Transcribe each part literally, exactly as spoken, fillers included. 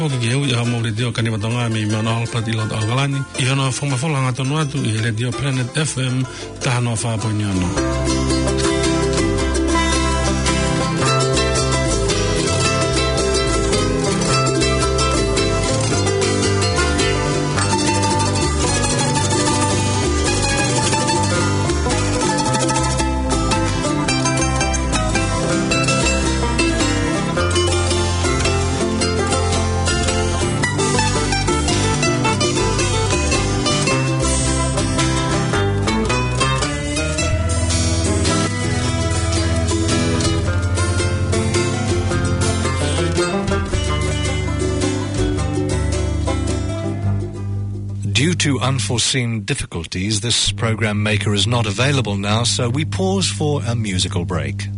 Ko e kiʻi ui ʻa e Letiō Kaniva Tonga mei Mount Albert ʻi loto ʻAokalani, ʻi hono fakamafola hangatonu atu ʻi he Letiō Planet F M taha noa fā poini ono. Due to unforeseen difficulties, this program maker is not available now, so we pause for a musical break.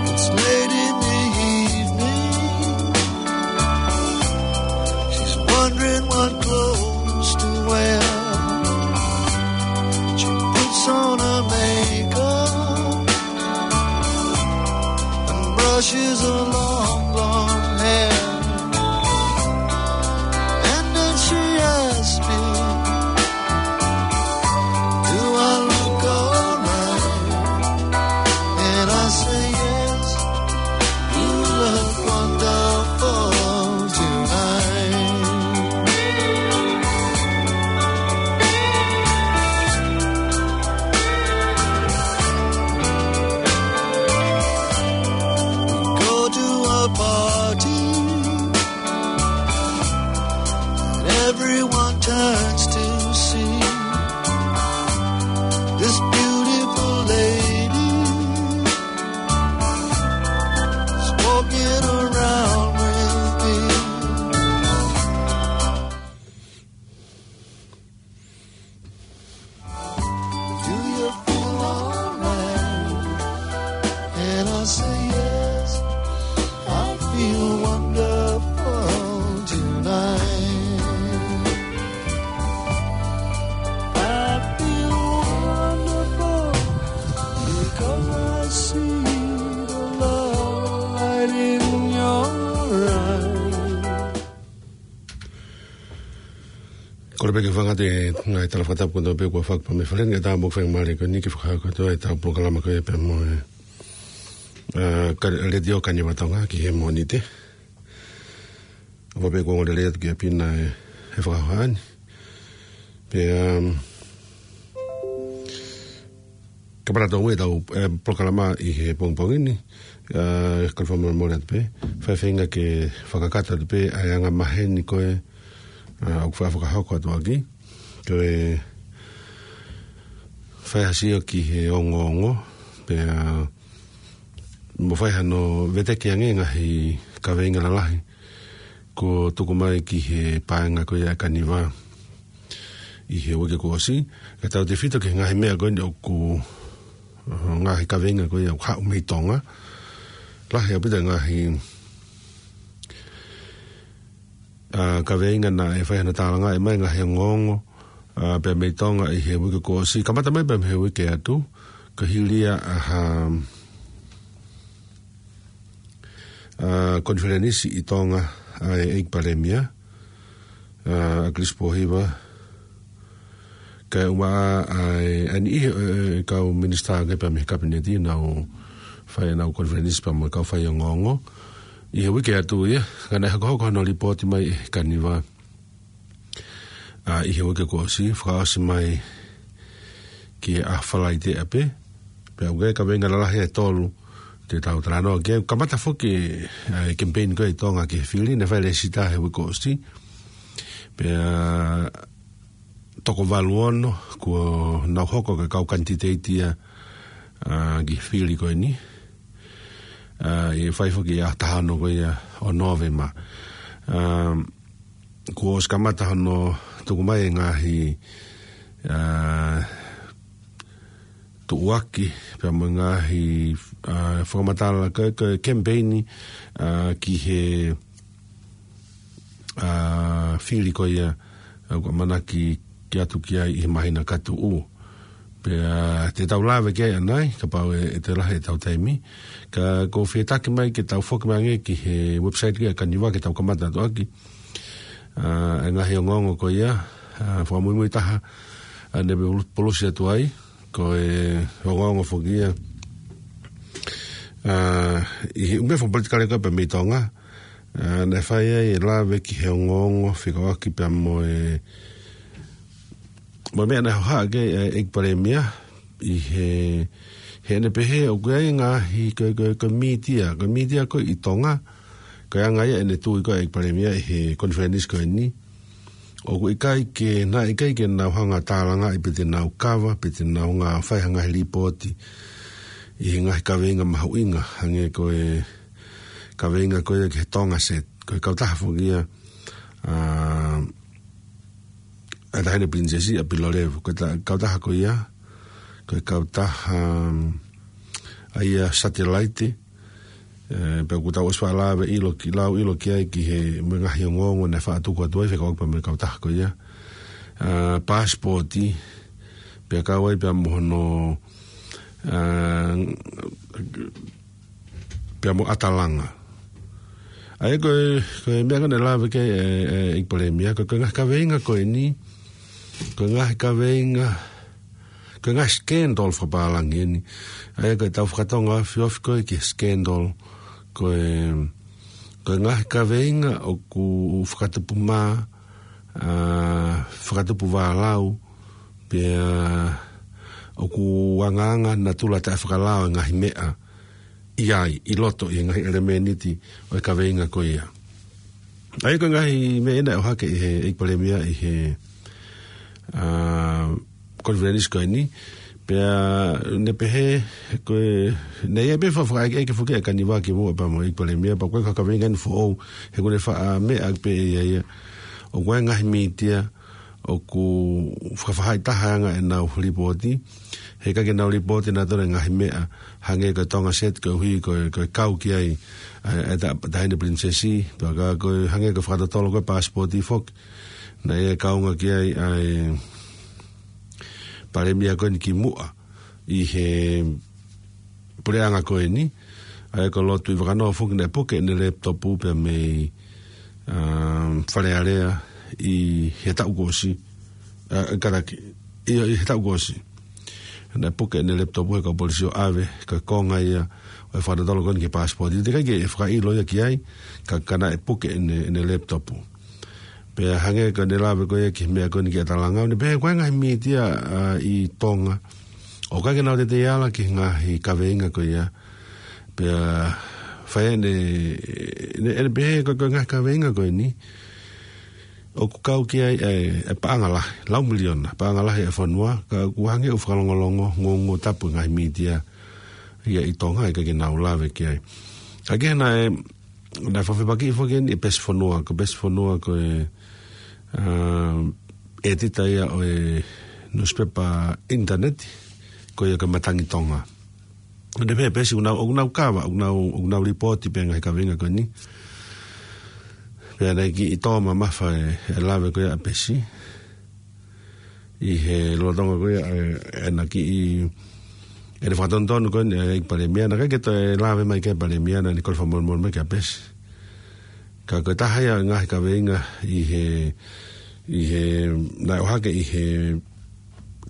It's late in the evening. She's wondering what clothes to wear. She puts on her makeup and brushes her long blonde hair. And then she asks me, "Do I look alright?" And I say, "Yes, you look wonderful tonight." We go to a party, and everyone turns to see this beautiful lady is walking around with me. "Do you feel alright?" And I say, "Yes, I feel wonderful tonight. I feel wonderful because I see the love light in your eyes." Kole pē ke fakaʻatā e ngaahi tala fakatapu kotoa pē kuo fakapā mei fale ni, kae ʻatā mo e faingamālie ko eni ke fakahoko atu ai ʻetau polokalama ko ia pea mo e, ā, ka-, Letiō Kaniva Tonga ki he Mōnite. ʻOfa pē kuo ongo lelei atu kia Pina e, e fakahoha ni. Pea, um, Ka pala tau e tau, e, polokalama ʻi he pongipongi ni, ā, kole fakamolemole atu pē, fai feinga ke fakakakato atu pē ʻa e anga maheni ko ē, ā, ʻoku fai fakahoko atu ʻaki, ko e fai ha sio ki he ongoongo, pea, ā, mo fai hano veteki ange ngaahi kaveinga lalahi kuo tuku mai ki he paenga ko ia ʻa e Kaniva ʻi he uike kuo ʻosi, kae tautefito ki he ngaahi meʻa ko eni ʻoku, ā, ngaahi kaveinga ko ia ʻoku haʻu mei Tonga. Lahi ʻaupito ngaahi, ā, kaveinga naʻe fai hano tālangaʻi mai ngaahi ongoongo, ā, pea mei Tonga ʻi he uike kuo ʻosi. Kamata mai pea mei he uike atu, ka hili ia ʻa ha, ā, konifelenisi ʻi Tonga ʻa e ʻEiki Palēmia, ā, ʻAkilisi Pōhiva, kae ʻumaʻā ʻa e, ʻa e niʻihi, ē, kau minisitā ange pea mei he Kapineti, nau fai ʻenau konifelenisi pea mo e kau faiongoongo. ʻI he uike atu ia, ka naʻe hokohoko hano lipooti mai ʻe he Kaniva, ā, ʻi he uike kuo ʻosi, fakaʻosi mai ki he ʻaho Falaite ʻapē. Pea ʻoku ʻi ai e kaveinga lalahi ʻe tolu te tau talanoa ki ai. Kamata foki, ā, e kemipeini ko ē ʻi Tonga ki he fili, naʻe fai e lēsisita he uike kuo ʻosi. Pea toko valu ono kuo nau hoko ko e kau kanititeiti ia, ā, ki he fili ko eni. Ā, ʻe fai foki ʻi he ʻaho taha ono ko ia ʻo Nōvema. Ā, kuo ʻosi kamata hono tuku mai e ngaahi, ā, tuʻuaki, pea mo e ngaahi, ā, fakamatala ko e, ko e kemipeini, ā, ki he, ā, fili ko ia, ā, ʻoku ʻamanaki ke ʻatu ki ai ʻi he māhina ka tuʻu. Pea te tau lave ki ai ʻanai, kapau ʻe, ʻe toe lahi ʻetau taimi. Ka ʻoku ou fetaki mai ke tau foki mai ange ki he website ki a Kaniva ke tau kamata atu ʻaki. Ā, e ngaahi ongoongo ko ia, ā, fakamuimui taha, ā, ne pulu-, pulusi atu ai, ko e ongoongo foki ia. Ā, ʻi he ʻū meʻa fakapolitikale ko ē pea mei Tonga, ā, naʻe fai ai e lave ki he ongoongo fekauʻaki pea mo e, mo e meʻa naʻe hohaʻa ki ai e ʻEiki Palēmia, ʻi he, heʻene pehē ʻoku ʻi ai e ngaahi ko e, ko e, ko e mītia, ko e mītia ko ē ʻi Tonga, ko e anga ia ʻene tui ko ē ʻEiki Palēmia ʻi he konifelenisi ko eni. ʻOku ʻikai ke, naʻe ʻikai ke nau hanga tālangaʻi pe te nau kava, pe te nau hanga fai ha ngaahi lipooti ʻi he ngaahi kaveinga mahuʻinga, hangē ko e kaveinga ko ia ki he Tonga Sat, ko e kautaha foki ia, ā, ʻa e Taʻahine Pilinisesi ʻa Pilolevu, ko e ta-, kautaha ko ia, ko e kautaha, um, ʻa ia satelaite, ē, pea ʻoku tau ʻosi faʻa lave ʻilo ki, lau ʻilo ki ai ki he mo e ngaahi ongoongo naʻe faʻa tuku atu ai fekauʻaki pea mo e kautaha ko ia. Ā, paasipooti, pea kau ai pea mo hono, ā, pea mo ʻatalanga. ʻA ia ko e, ko e meʻa ko ē naʻe lave ki ai e, e, ʻEiki Palēmia, ko e, ko e ngaahi kaveinga ko eni, ko e ngaahi kaveinga, ko e ngaahi scandal fakapālangi eni. ʻA ia ko e tau fakatonga ofi ofi ko ē ki he scandal, ko e, ko e ngaahi kaveinga ʻoku fakatupu mā, ā, fakatupu vālau, pea ʻoku angaanga natula taʻefakalao e ngaahi meʻa ʻi ai, ʻi loto ʻi he ngaahi ʻelemēniti ʻo e kaveinga ko ia. ʻA ia ko e ngaahi meʻa ena ʻe ʻohake ʻe he ʻEiki Palēmia ʻi he, ā, konifelenisi ko eni, pea ne pehē, ko e, naʻe ʻi ai pē fakaʻekeʻeke foki ʻa Kaniva kimuʻa pea mo e ʻEiki Palēmia, pea ko e kaveinga eni foʻou, he ʻoku ne faʻa meʻa pē ʻe ia ia. ʻOku ʻi ai e ngaahi mītia, ʻoku fakafaʻahitaha ange ʻenau lipooti, he ʻikai ke nau lipooti nautolu e ngaahi meʻa, hangē ko e Tonga Sat koeʻuhi ko e, ko e kau ki ai, ē, e ta-, Taʻahine Pilinisesi, pea ka ko e hangē ko e fakatotolo ko e paasipooti foki, naʻe ʻi ai e kaunga ki ai ʻa e Palēmia ko eni kimuʻa ʻi he puleʻanga ko eni, ʻa ia ko Lord Tuʻivakanō foki naʻe puke ʻene laptop pea mei, um, Fale Alea ʻi he taʻu kuo ʻosi, ā, kātaki, ʻi, ʻi he taʻu kuo ʻosi. Naʻe puke ʻene laptop he kau polisi ʻo ʻave, ko e konga ia ʻo e fakatotolo ko eni ki he paasipooti. Teʻeki ai ke fakaʻilo ia ki ai, ka, ka naʻe puke ʻene, ʻene laptop. Pea hangē ko ʻene lave ko ia ki he meʻa ko eni ki ʻatalanga, ʻo ne pehē ko e ngaahi mītia, ā, ʻi Tonga ʻoku ʻikai ke nau teitei ala ki he ngaahi kaveinga ko ia. Pea fai ʻene, ʻene, ʻene pehē ko e, ko e ngaahi kaveinga ko eni ʻoku kau ki ai e, e paʻanga lahi, lau miliona, paʻanga lahi e fonua, ka ʻoku hangē ʻoku fakalongolongo, ngongo tapu e ngaahi mītia ia ʻi Tonga, ʻikai ke nau lave ki ai. Ka ke naʻe, naʻe fakafepakiʻi foki eni e Pesi Fonua, ko e Pesi Fonua ko e, ā, ʻētita ia ʻo e nusipepa ʻinitaneti, ko ia ko e Matangi Tonga. ʻO ne pehē Pesi ʻoku nau, ʻoku nau kava, ʻoku nau, ʻoku nau lipooti pē ngaahi kaveinga ko eni. Pea naʻe kiʻi tō mamafa e, e lave ko ia ʻa Pesi. ʻI he lolotonga ko ia, ē, ʻena kiʻi, ʻene fakatonutonu ko eni, ē, ʻEiki Palēmia, naʻe ʻikai ke toe lave mai ki ai e Palēmia, naʻa ne kole fakamolemole mai kia Pesi. Ka ko e taha ia e ngaahi kaveinga ʻi he, ʻi he, naʻe ʻohake ʻi he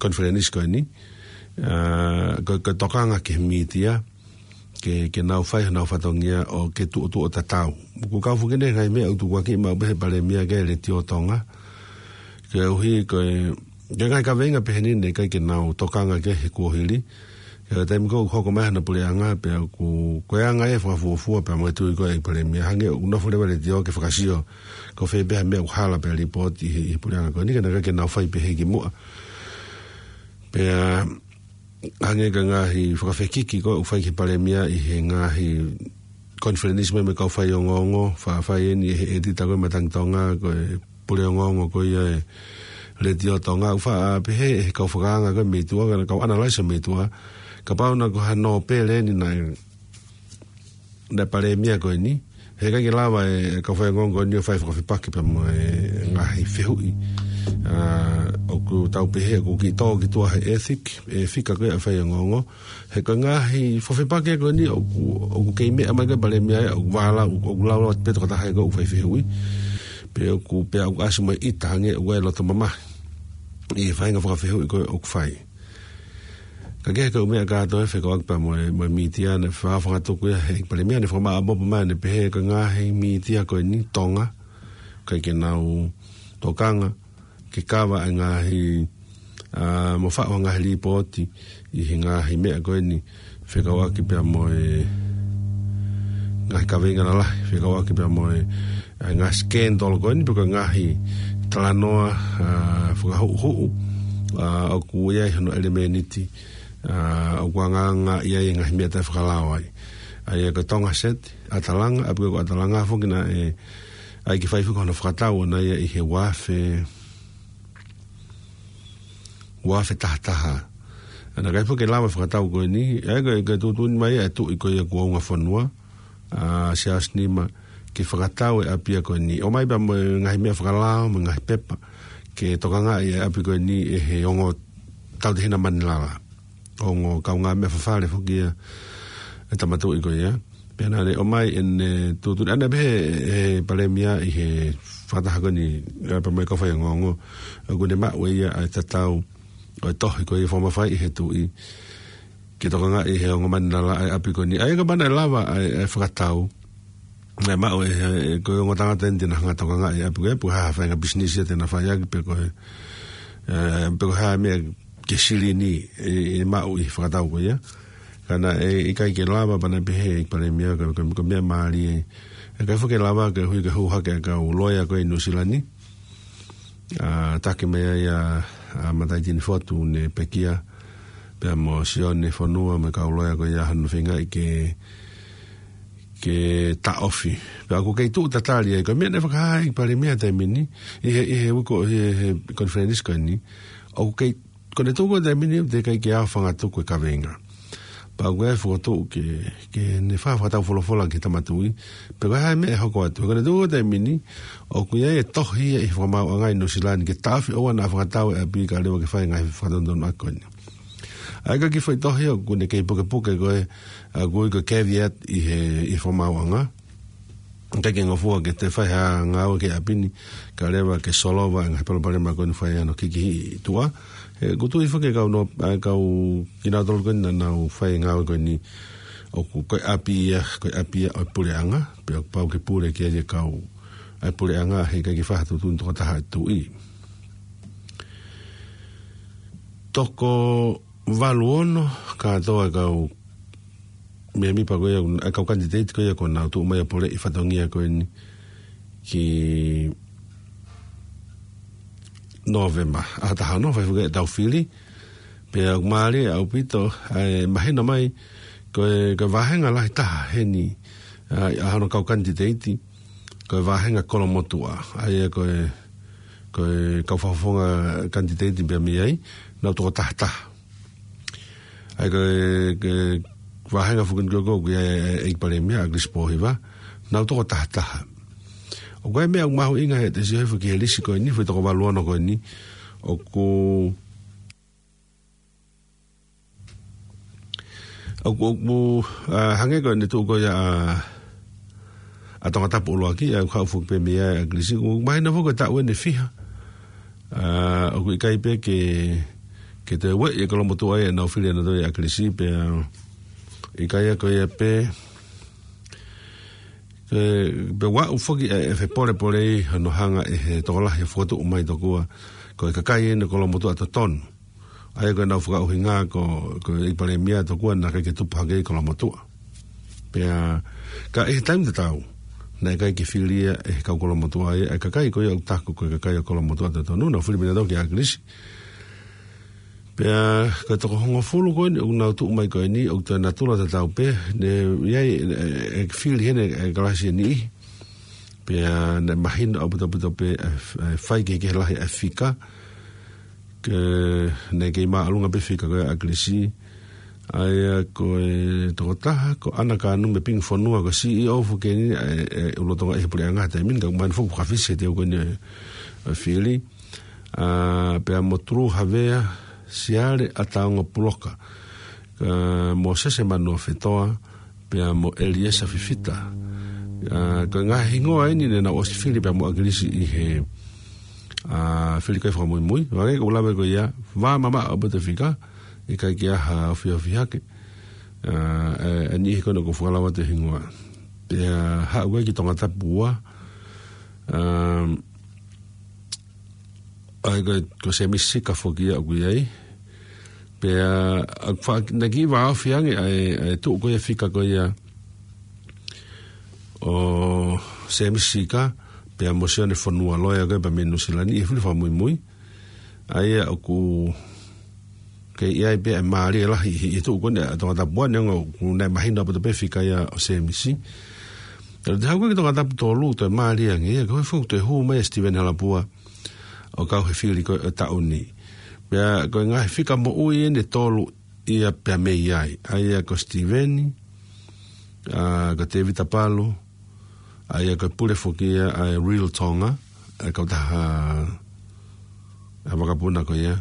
konifelenisi ko eni, ā, ko, ko e tokanga ki he mītia, ke, ke nau fai honau fatongia ʻo ke tuʻutuʻu ʻo tatau. ʻOku kau foki eni e ngaahi meʻa ʻoku tukuakiʻi maʻu pē he Palēmia ki he Letiō Tonga. Koeʻuhi ko e, ko e ngaahi kaveinga pehē ni naʻe ʻikai ke nau tokanga ki ai he kuohili. He ko e taimi ko ē ʻoku hoko mai hano puleʻanga pea ʻoku, ko e anga e fakafuofua pea mo e tui ko ē ʻa e Palēmia. Hangē ʻoku nofo leva e Letiō ke fakasio ko fē pē ha meʻa ʻoku hala pea lipooti ʻi he, ʻi he puleʻanga ko eni ka naʻe ʻikai ke nau fai pehē kimuʻa. Pea hangē ko e ngaahi fakafekiki ko ē ʻoku fai ki he Palēmia ʻi he ngaahi konifelenisi mai mo e kau faiongoongo, faʻa fai eni ʻe he ʻētita ko ē Matangi Tonga, ko e pule ongoongo ko ia e Letiō Tonga, ʻoku faʻa pehē ʻe he kau fakaanga ko ē mei tuʻa, ka kau analyzer mei tuʻa, kapau naʻe ko ha nōpele eni naʻe, naʻe palēmia ko eni, heʻikai ke lava e kau faiongoongo ko eni ʻo fai fakafepaki pea mo e ngaahi fehuʻi. ʻA, ʻoku tau pehē, ʻoku kiʻi tō ki tuʻa he ethic, e fika ko ē ʻa e faiongoongo. He ko e ngaahi fakafepaki ko eni ʻoku, ʻoku kei meʻa mai ko ē palēmia ia, ʻoku vālau, ʻoku lau atu pē tokotaha ko ē ʻoku fai fehuʻi. Pea ʻoku, pea ʻoku ʻasi mai ʻita hangē ʻoku ʻi ai e loto mamahi ʻi he faʻahinga fakafehuʻi ko ē ʻoku fai. Ka ko e kau meʻa kātoa ʻe fekauʻaki pea mo e, mo e mītia naʻe faʻa fakatuku ia ʻe he palēmia, naʻe fakamaʻopoʻopo mai ʻene pehē ko e ngaahi mītia ko eni Tonga, ʻikai ke nau tokanga ke kava e ngaahi, ʻa, mo faʻu ha ngaahi lipooti ʻi he ngaahi meʻa ko eni fekauʻaki pea mo e ngaahi kaveinga lalahi, fekauʻaki pea mo e, ʻa, ngaahi scandal ko eni, pe ko e ngaahi talanoa, ʻa, fakahuʻuhuʻu, ʻa, ʻoku ʻi ai hono ʻelemēniti, ʻa, ʻoku angaanga ʻi ai e ngaahi meʻa taʻefakalao ai. ʻA ia ko Tonga Set, ʻAtalanga, ʻapi ko ē ko ʻAtalanga foki naʻe ʻai ke fai foki hono fakatau ʻona ia ʻi he ua afe, ua afe taha taha. Naʻe ʻikai foki ke lava e fakatau ko eni, ʻa ia ko e, ko e tuʻutuʻuni mai ʻa e tuʻi ko ia kuo unga fonua, ʻa, Siaosi Nima, ke fakatau e ʻapi ia ko eni. ʻOmai pea mo e ngaahi meʻa fakalao, mo e ngaahi pepa, ke tokangaʻi e ʻapi ko eni ʻe he ongo tautehina Manilala. Ongo kaungāmeʻa fafale foki ia e tama tuʻi ko ia. Pea naʻa ne ʻomai ʻene tuʻutuʻuni, ʻa ia naʻe pehē ʻe he palēmia ʻi he fakataha ko eni, ʻa, pea mo e kau faiongoongo, ʻoku ne maʻu ʻe ia ʻa e tatau ʻo e tohi ko ia fakamafai ʻe he tuʻi ke tokangaʻi ʻe he ongo Manilala ʻa e ʻapi ko eni. ʻA ia kapau naʻe lava ʻa e, ʻa e fakatau, naʻe maʻu ʻe he, ʻe, ko e ongo tangata eni te na hanga ʻo tokangaʻi e ʻapi ko ia, pe ko e hā ha faʻahinga pisinisi ia te na fai ʻaki, pe ko e, ʻe, pe ko e hā e meʻa ke silini ʻe, ʻe maʻu ʻi he fakatau ko ia. Ka naʻe ʻikai ke lava pea naʻe pehē ʻe he palēmia ko e, ko e, ko e meʻa mālie. ʻIkai foki ke lava ke hui ke hū hake e kau loea ko ē ʻi Nuʻusila ni. ʻA, taki mai ai ʻa, ʻa Mataʻitini Fotu ne pekia, pea mo Sione Fonua mo e kau loea ko ia hono feingaʻi ke, ke taʻofi. Pea ʻoku kei tuʻu tatali ai, ko e meʻa naʻe fakahā ʻe he palēmia he taimi ni, ʻi he, ʻi he uike, ʻi he, he konifelenisi ko eni, ʻoku kei, ko ʻene tuʻu ko ē he taimi ni, teʻeki ai ke ʻaofangatuku e kaveinga. Pea ʻoku ʻi ai e fokotuʻu ke, ke ne faʻa fakatau folofola ki he tama tuʻi, pe ko e hā e meʻa ʻe hoko atu. Ko ʻene tuʻu ko ē he taimi ni, ʻoku ʻi ai e tohi ia ʻi he fakamaauʻanga ʻi Nuʻusila ni ke taʻofi ʻoua naʻa fakatau e ʻapi kae ʻoua ke fai e ngaahi fakatonutonu ko eni. ʻA ia ko e kiʻi foʻi tohi ʻoku ne kei pukepuke ko ē, ʻa, ʻoku ui ko e caveat ʻi he, ʻi he fakamaauʻanga. ʻIkai ke ngofua ke toe fai ha ngāue ki he ʻapi ni, kae ʻoua ke solova e ngaahi palopalema ko eni ʻoku fai ai hono kikihiʻi ʻi tuʻa. He ʻoku tui foki e kau no, ʻa, kau kinautolu ko eni naʻa nau fai e ngāue ko eni, ʻoku ko e ʻapi ia, ko e ʻapi ia ʻo e puleʻanga, pea ʻoku pau ke pule ki ai e kau ʻa e puleʻanga, heʻikai ke fai ha tuʻutuʻuni tokotaha ʻa e tuʻi. Toko valu ono kātoa e kau mēmipa ko ia, e kau kanititeiti ko ia kuo nau tuʻu mai ʻo poleʻi fatongia ko eni ki Nōvema. ʻAho taha ono, fai foki e tau fili. Pea ʻoku mālie ʻaupito, ʻa e mahino mai, ko e, ko e vāhenga lahi taha heni, ʻa, ʻa hono kau kanititeiti, ko e vāhenga kolomotuʻa. ʻA ia ko e, ko e kau fakafofonga kanititeiti pea mei ai, nau toko taha taha. ʻA ia ko e, ko e vāhenga foki ko ē ʻoku ʻi ai e, e, e palēmia, ʻAkilisi Pōhiva, nau toko taha taha. ʻOku ʻi ai e meʻa ʻoku mahuʻinga he te sio hifo ki he lisi ko eni, foʻi toko valu ono ko eni, ʻoku, ʻoku, ʻoku, ʻa, hangē ko ʻene tuʻu ko ia ʻa, ʻa Tongatapu ʻuluaki, ʻa, ʻoku haʻu foki pē mei ai ʻa ʻAkilisi, ʻoku mahino foki ko e taʻu ʻeni ʻe fiha. ʻA, ʻoku ʻikai pē ke, ke toe ueʻi e kolomotuʻa ia ʻenau fili ʻenau toe ʻAkilisi, pea ʻikai ia ko ia pē, ke, pea ʻoku aʻu foki e, e fepolepole ʻi hono hanga ʻe he tokolahi ʻo fokotuʻu mai tokua ko e kakai ʻeni kolomotuʻa totonu. ʻA ia ko ʻenau fakaʻuhinga ko, ko e palēmia tokua naʻe ʻikai ke tupu hake ʻi kolomotuʻa. Pea, ka ʻi he taimi tatau, naʻe ʻikai ke fili ia ʻe he kau kolomotuʻa ia, ʻa e kakai ko ia ʻoku taku ko e kakai ʻo kolomotuʻa totonu, nau fili mei nautolu kia ʻAkilisi. Pea, ko e toko hongofulu ko eni, ʻoku nau tuʻu mai ko eni, ʻoku toe natula tatau pē, ne, ʻi ai, e, e, e fili heni, e kalasi ʻe niʻihi. Pea, naʻe mahino ʻaupito ʻaupito pē, e, e fai kehekehe lahi e fika, Ke ne kei māʻolunga pē fika ko ē ʻa ʻAkilisi. ʻA ia ko e tokotaha, ko ʻAna Kānumi Pingi Fonua, ko e C E O foki eni ʻa e, e, ʻUluʻatonga ʻi he puleʻanga he taimi ni, ka ʻoku mahino foki ʻoku fakafisi he teu ko eni e, e fili. ʻA, pea mo Tulu Havea, Siale ʻAtaonga Puloka. Ka Mōsese Manuofetoa, pea mo ʻEliesa Fifita. ʻA, ko e ngaahi hingoa eni ne nau ʻosi fili pea mo ʻAkilisi ʻi he, ʻa, fili ko ē fakamuimui. Hangē ko e lave ko ia, vā mamaʻo ʻaupito e fika, ʻikai ke ʻi ai ha ofiofi hake. ʻA, e, e niʻihi ko ena ʻoku ou fakalava atu e hingoa. Pea haʻu ko ē ki Tongatapu ua, ʻa, ʻa ia ko, ko Semisi Sika foki ia ʻoku ʻi ai. Pea, ʻa, fa-, naʻe kiʻi vāofi ange ʻa e, ʻa e tuʻu ko ia e fika ko ia ʻo Semisi Sika, pea mo Sione Fonua, loea ko ē pea mei Nuʻu Sila ni, ʻi he fili fakamuimui. ʻA ia ʻoku kei ʻi ai pē ʻa e mālie lahi ʻi, ʻi he tuʻu ko eni ʻa Tongatapu ua, neongo ʻoku ne mahino ʻaupito pē fika ia ʻo Semisi. Ka te haʻu ko ē ki Tongatapu tolu, toe mālie ange ia, ko e foki toe hū mai ʻa Steven Halapua ʻo kau he fili ko ē ʻo e taʻu ni. Pea ko e ngaahi fika moʻui eni ʻe tolu ia pea mei ai. ʻA ia ko Steven, ʻa, ko Tevita Palu, ʻa ia ko e pule foki ia ʻa e Real Tonga, ʻa e kautaha ʻa e vakapuna ko ia.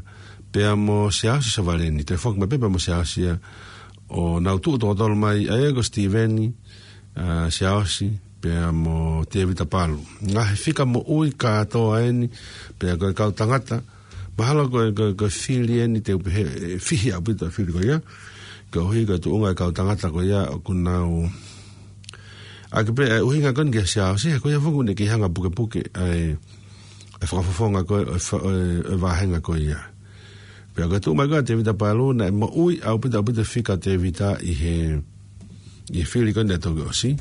Pea mo Siaosi Savaleni, toe foki mai pē pea mo Siaosi ia, ʻo nau tuʻu toko tolu mai, ʻa ia ko Steven, ʻa, Siaosi, pea mo Tevita Palu. Ngaahi fika moʻui kātoa eni, pea ko e kau tangata, mahalo ko e, ko e, ko e fili eni te u pehē, ʻe fihi ʻaupito e fili ko ia. Koeʻuhi ko e tuʻunga e kau tangata ko ia ʻoku nau ʻaki pē ʻa e ʻuhinga ko eni kia Siaosi, he ko ia foki ʻoku ne kei hanga pukepuke ʻa e, ʻa e fakafofonga ko ē, ʻo e fa-, ʻo e, ʻo e vāhenga ko ia. Pea ko e tuʻu mai ko ē ʻa Tevita Palu, naʻe moʻui ʻaupito, ʻaupito e fika ʻa Tevita ʻi he, ʻi he fili ko eni naʻe toki ʻosi.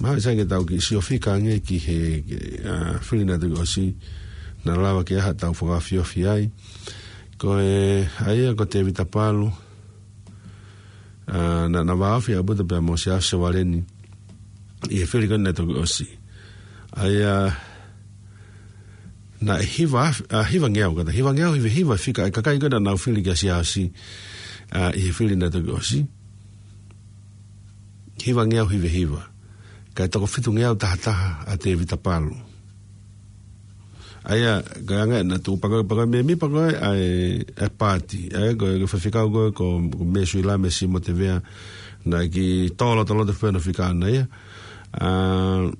Mahalo sai ke tau kiʻi sio fika ange ki he, ki, ʻa, fili naʻe toki ʻosi. Naʻa lava ke ʻi ai haʻatau fakaofiofi ai. Ko e, ʻa ia ko Tevita Palu, ʻa, naʻa, naʻa vāofi ʻaupito pea mo Siaosi Savaleni ʻi he fili ko eni naʻe toki ʻosi. ʻA ia, naʻe hiva af-, ʻa, hiva ngeau, kātaki hiva ngeau, hiva hiva fika ʻa e kakai ko ē naʻa nau fili kia Siaosi, ʻa, ʻi he fili naʻe toki ʻosi. Hiva ngeau, hiva hiva. Kae toko fitu ngeau taha taha ʻa Tevita Palu. ʻA ia, ka anga naʻa tuʻu pē ko ē, pē ko ē mēmipa ko ē ʻa e, ʻa e paati. ʻA ia, ko e, ko e faifekau ko ē, ko, ko Mesuila Mesimo Tevea, naʻe kiʻi tō lotoloto pē hono fika ʻana ia. ʻA,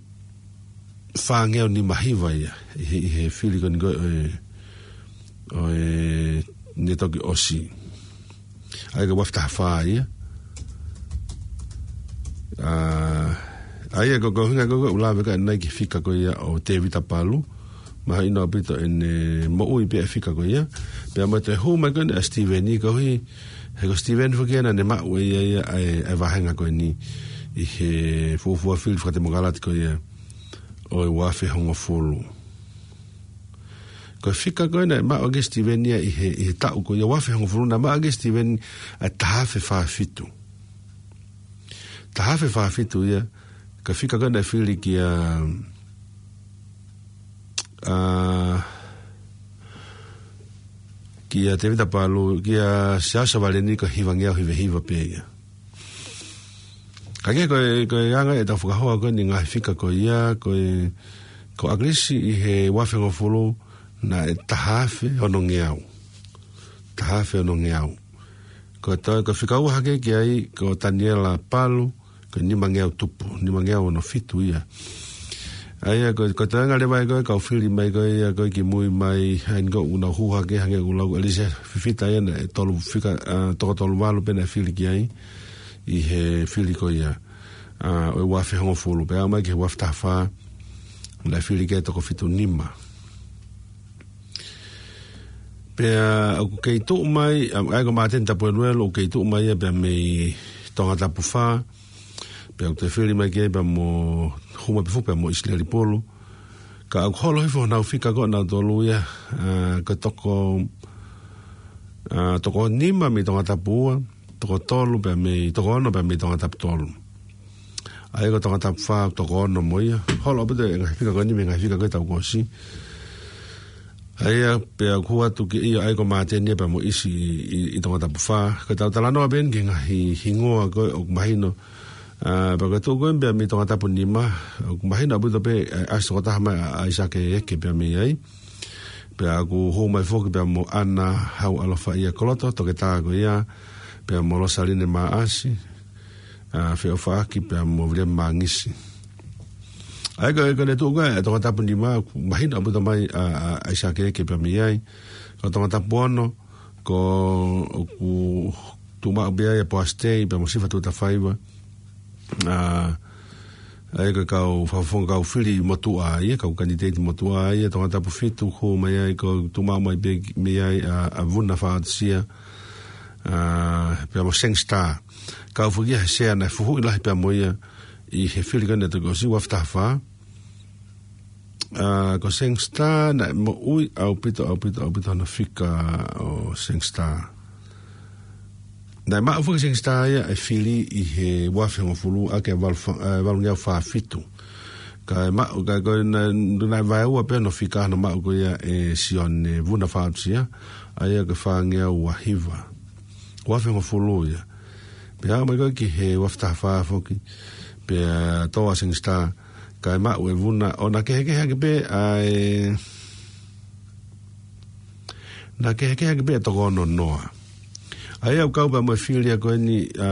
fā ngeau nima hiva ia, ʻi he, ʻi he fili ko eni ko ē, ʻo e, ʻo e, naʻe toki ʻosi. ʻA ia ko e uaafe taha fā ia. ʻA, ʻa ia ko, ko e ʻuhinga ko ē ʻoku ou lave ko ē ʻanenai ki he fika ko ia ʻo Tevita Palu. Mahino ʻaupito ʻene moʻui pē ʻa e fika ko ia. Pea mo e toe hū mai ko eni ʻa Steven ʻi koeʻuhi, he ko Steven foki ia naʻa ne maʻu ʻe ia ia ʻa e, ʻa e vāhenga ko eni ʻi he fuofua fili fakatemokalati ko ia ʻo e uaafe hongofulu. Ko e fika ko ē naʻe maʻu ʻaki ʻe Steven ia ʻi he, ʻi he taʻu ko ia uaafe hongofulu naʻe maʻu ʻaki ʻe Steven ʻa e taha afe fā fitu. Taha afe fā fitu ia, ko e fika ko ē naʻe fili kia, ʻa, kia Tevita Palu, kia Siaosi Savaleni ko e hiva ngeau hiva hiva pē ia. Ka ʻi he ko e, ko e anga ʻetau fakahoa ko eni ngaahi fika ko ia, ko e, ko ʻAkilisi ʻi he uaafe hongofulu naʻe taha afe ono ngeau. Taha afe ono ngeau. Ko e toe, ko e fika ua hake ki ai, ko Taniela Palu, ko e nima ngeau tupu, nima ngeau ono fitu ia. ʻA ia, ko, ko e toenga leva ia ko ē, kau fili mai ko ia, ko e kimui mai, ʻa eni ko ē ʻoku nau hū hake, hangē ko e lau ʻa ʻEliesa Fifita ia naʻe tolu fika, ʻa, toko tolu valu pē naʻe fili ki ai, ʻi he fili ko ia, ʻa, ʻo e uaafe hongofulu, pea aʻu mai ki he uaafe taha fā, naʻe fili ki ai toko fitu nima. Pea ʻoku kei tuʻu mai, ʻa, ʻa ia ko Māteni Tapueluelu ʻoku kei tuʻu mai ia pea mei Tongatapu fā, pea ʻoku toe fili mai ki ai pea mo, hū mai pē foki pea mo ʻIsileli Pulu. Ka ʻoku holo hifo honau fika ko ē ʻanautolu ia, ʻa, ko e toko, ʻa, toko nima mei Tongatapu ua, toko tolu pea mei, toko ono pea mei Tongatapu tolu. ʻA ia ko Tongatapu fā, toko ono mo ia. Holo ʻaupito e ngaahi fika ko eni mei he ngaahi fika ko ē taʻu kuo ʻosi. ʻA ia, pea ʻoku ʻoatu ki ʻIo ai ko Māteni pea mo ʻIsi ʻi, ʻi, ʻi Tongatapu fā. Ko ʻetau talanoa pē eni ki he ngaahi hingoa ko ē ʻoku mahino. ʻA, pea ko e tuʻu ko ē pea mei Tongatapu nima, ʻoku mahino ʻaupito pē, ʻa, ʻasi tokotaha mai ʻa, ʻa ʻAisake Eke pea mei ai. Pea ʻoku hū mai foki pea mo ʻAna Haualofaʻia Koloto, toketā ko ia, pea mo Losaline Maʻasi, ʻa, Feʻofaʻaki pea mo Viliami Mangisi. ʻA ia ko e, ko ʻene tuʻu ko ē ʻa Tongatapu nima, ʻoku mahino ʻaupito mai ʻa, ʻa, ʻAisake Eke pea mei ai. Ko Tongatapu ono, ko ʻoku tuʻu maʻu pē ai ʻa Poasi Tei pea mo Sifa Tuʻatafaiva. ʻA, ʻa ia ko e kau fakafofonga kau fili motuʻa ia, kau kanitēiti motuʻa ia. Tongatapu fitu hū mai ai, ko e tuʻu maʻu mai pē mei ai ʻa, ʻa Vuna Faʻatisia, ʻa, pea mo Seng Star. Kau foki ia he sea naʻe fuhuʻi lahi pea mo ia ʻi he fili ko ē naʻe toki ʻosi, ua afe taha fā. ʻA, ko Seng Star naʻe moʻui ʻaupito, ʻaupito, ʻaupito hono fika ʻo Seng Star. Naʻe maʻu foki Seng Star ia ʻa e fili ʻi he ua afe hongofulu ʻaki ʻa e valu fa-, ʻa e valungeau fā fitu. Kae maʻu, kae ko ē naʻe, naʻe vaeua pē hono fika hono maʻu ko ia ʻe Sione Vuna Faʻatisia, ʻa ia ko e fāngeau ua hiva. Ua afe hongofulu ia. Pea aʻu mai ko ē ki he ua afe taha fā foki, pea tō ʻa Seng Star, kae maʻu ʻe Vuna, ʻo na kehekehe ʻaki pē ʻa e, na kehekehe ʻaki pē ʻa e toko ono noa. ʻA ia ʻoku kau pea mo e fili ia ko eni, ʻa,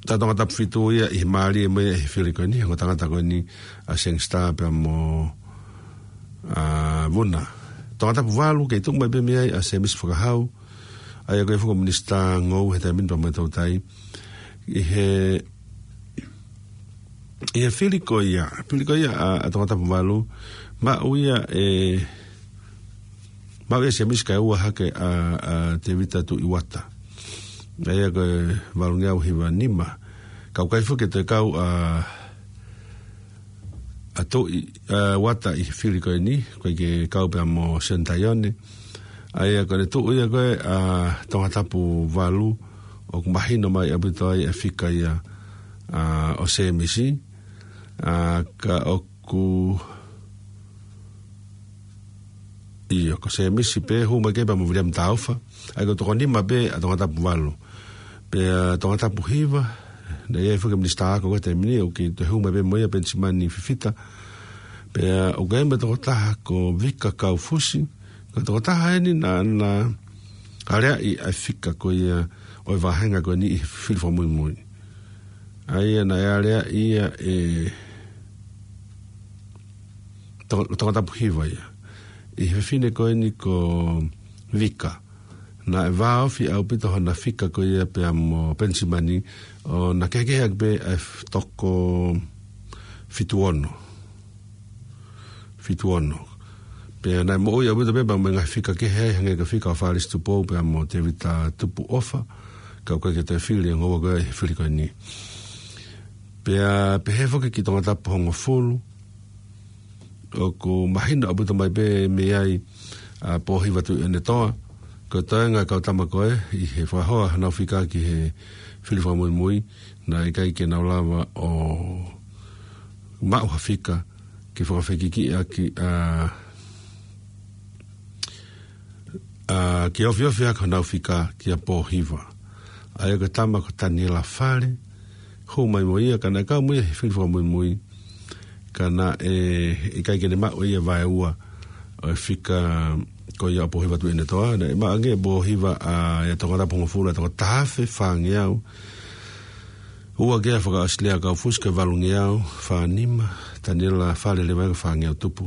ʻa Tongatapu fitu ia ʻi he mālie mo ia ʻi he fili ko eni, he ongo tangata ko eni ʻa Seng Star pea mo, ʻa, Vuna. Tongatapu valu kei tuʻu mai pē mei ai ʻa Semisi Fakahau, ʻa ia ko e foki minisitā ngoue he taimi ni pea mo e toutai. ʻI he, ʻi he fili ko ia, fili ko ia ʻa, ʻa Tongatapu valu, maʻu ia ʻe, maʻu ia ʻe Semisi kae ua hake ʻa, ʻa Tēvita Tuʻiuata. ʻA ia ko e valungeau hiva nima. Kau kai foki e toe kau ʻa, ʻa Tuʻi, ʻa Uata ʻi he fili ko eni, ko e ke kau pea mo Sione Taione. ʻA ia ko ʻene tuʻu ia ko ē ʻa Tongatapu valu, ʻoku mahino mai ʻaupito ai ʻa e fika ia, ʻa, ʻo Semisi. ʻA, ka ʻoku, ʻio, ko Semisi pē hū mai ki ai pea mo Viliami Taufa. ʻA ia ko e toko nima pē ʻa Tongatapu valu. Pea Tongatapu hiva, naʻe ʻi ai foki e minisitā ako ko ē he taimi ni, ʻoku toe hū mai pē mo ia, Penisimani Fifita. Pea ʻoku ʻi ai mo e tokotaha ko Vika Kaufusi, ko e tokotaha eni naʻa na aleaʻi ʻa e fika ko ia ʻo e vāhenga ko eni ʻi he fili fakamuimui. ʻA ia naʻe aleaʻi ia ʻe to-, Tongatapu hiva ia. ʻI he fefine ko eni ko Vika. Naʻe vāofi ʻaupito hona fika ko ia pea mo Penisimani, ʻo na kehekehe ʻaki pē ʻa e f-, toko fitu ono. Fitu ono. Pea naʻe moʻui ʻaupito pē pea mo e ngaahi fika kehe ai, hangē ko e fika ʻo Falesi Tupou pea mo Tēvita Tupuʻofa. Ka ʻoku ʻikai ke toe fili e ngoue ko ē he fili ko eni. Pea pehē foki ki Tongatapu hongofulu, ʻoku mahino ʻaupito mai pē mei ai ʻa Pōhiva Tuʻiʻonetoa, ko e toenga e kau tama ko ē ʻi he fakahoa honau fika ki he fili fakamuimui, naʻe ʻikai ke nau lava ʻo maʻu ha fika ke fakafekikiʻi ʻaki ʻa, ʻa, ke ofiofi ʻaki honau fika kia Pōhiva. ʻA ia ko e tama ko Taniela Fale, hū mai mo ia, ka naʻe kau mo ia he fili fakamuimui, ka naʻe ʻikai ke ne maʻu ia vaeua ʻo e fika ko ia ʻo Pōhiva Tuʻiʻonetoa. Naʻe maʻu ange ʻe Pōhiva ʻa e Tongatapu hongofulu ʻa e toko taha afe fāngeau, ua ki ai ʻa Fakaʻosilea Kaufusi ko e valungeau fā nima, Taniela Fale leva ia ko e fāngeau tupu.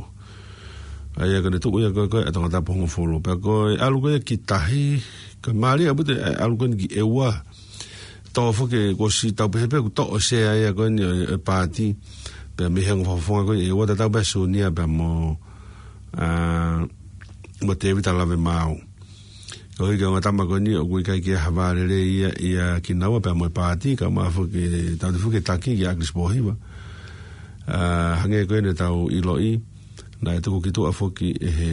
ʻA ia ko ʻene tuʻu ia ko ē ko ē ʻa Tongatapu hongofulu. Pea ko e ʻalu ko ia ki tahi, ka mālie ʻaupito e ʻalu ko eni ki ʻEua. Tō foki kuo ʻosi tau pehē pē kuo toʻo e sea ia ko eni ʻo e, ʻo e paati. Pea mei he ongo fakafofonga ko ia ʻEua, tatau pē ʻa Sunia pea mo, ʻa, mo Tēvita Lavemaau. Koeʻuhi ko e ongo tama ko eni ʻoku ʻikai ke ʻi ai ha vā lelei ia, ia kinaua pea mo e paati, ka ʻoku foki, tautefito foki e taki kia ʻAkilisi Pōhiva. ʻA, hangē ko ē ne tau ʻiloʻi, naʻe tuku ki tuʻa foki ʻe he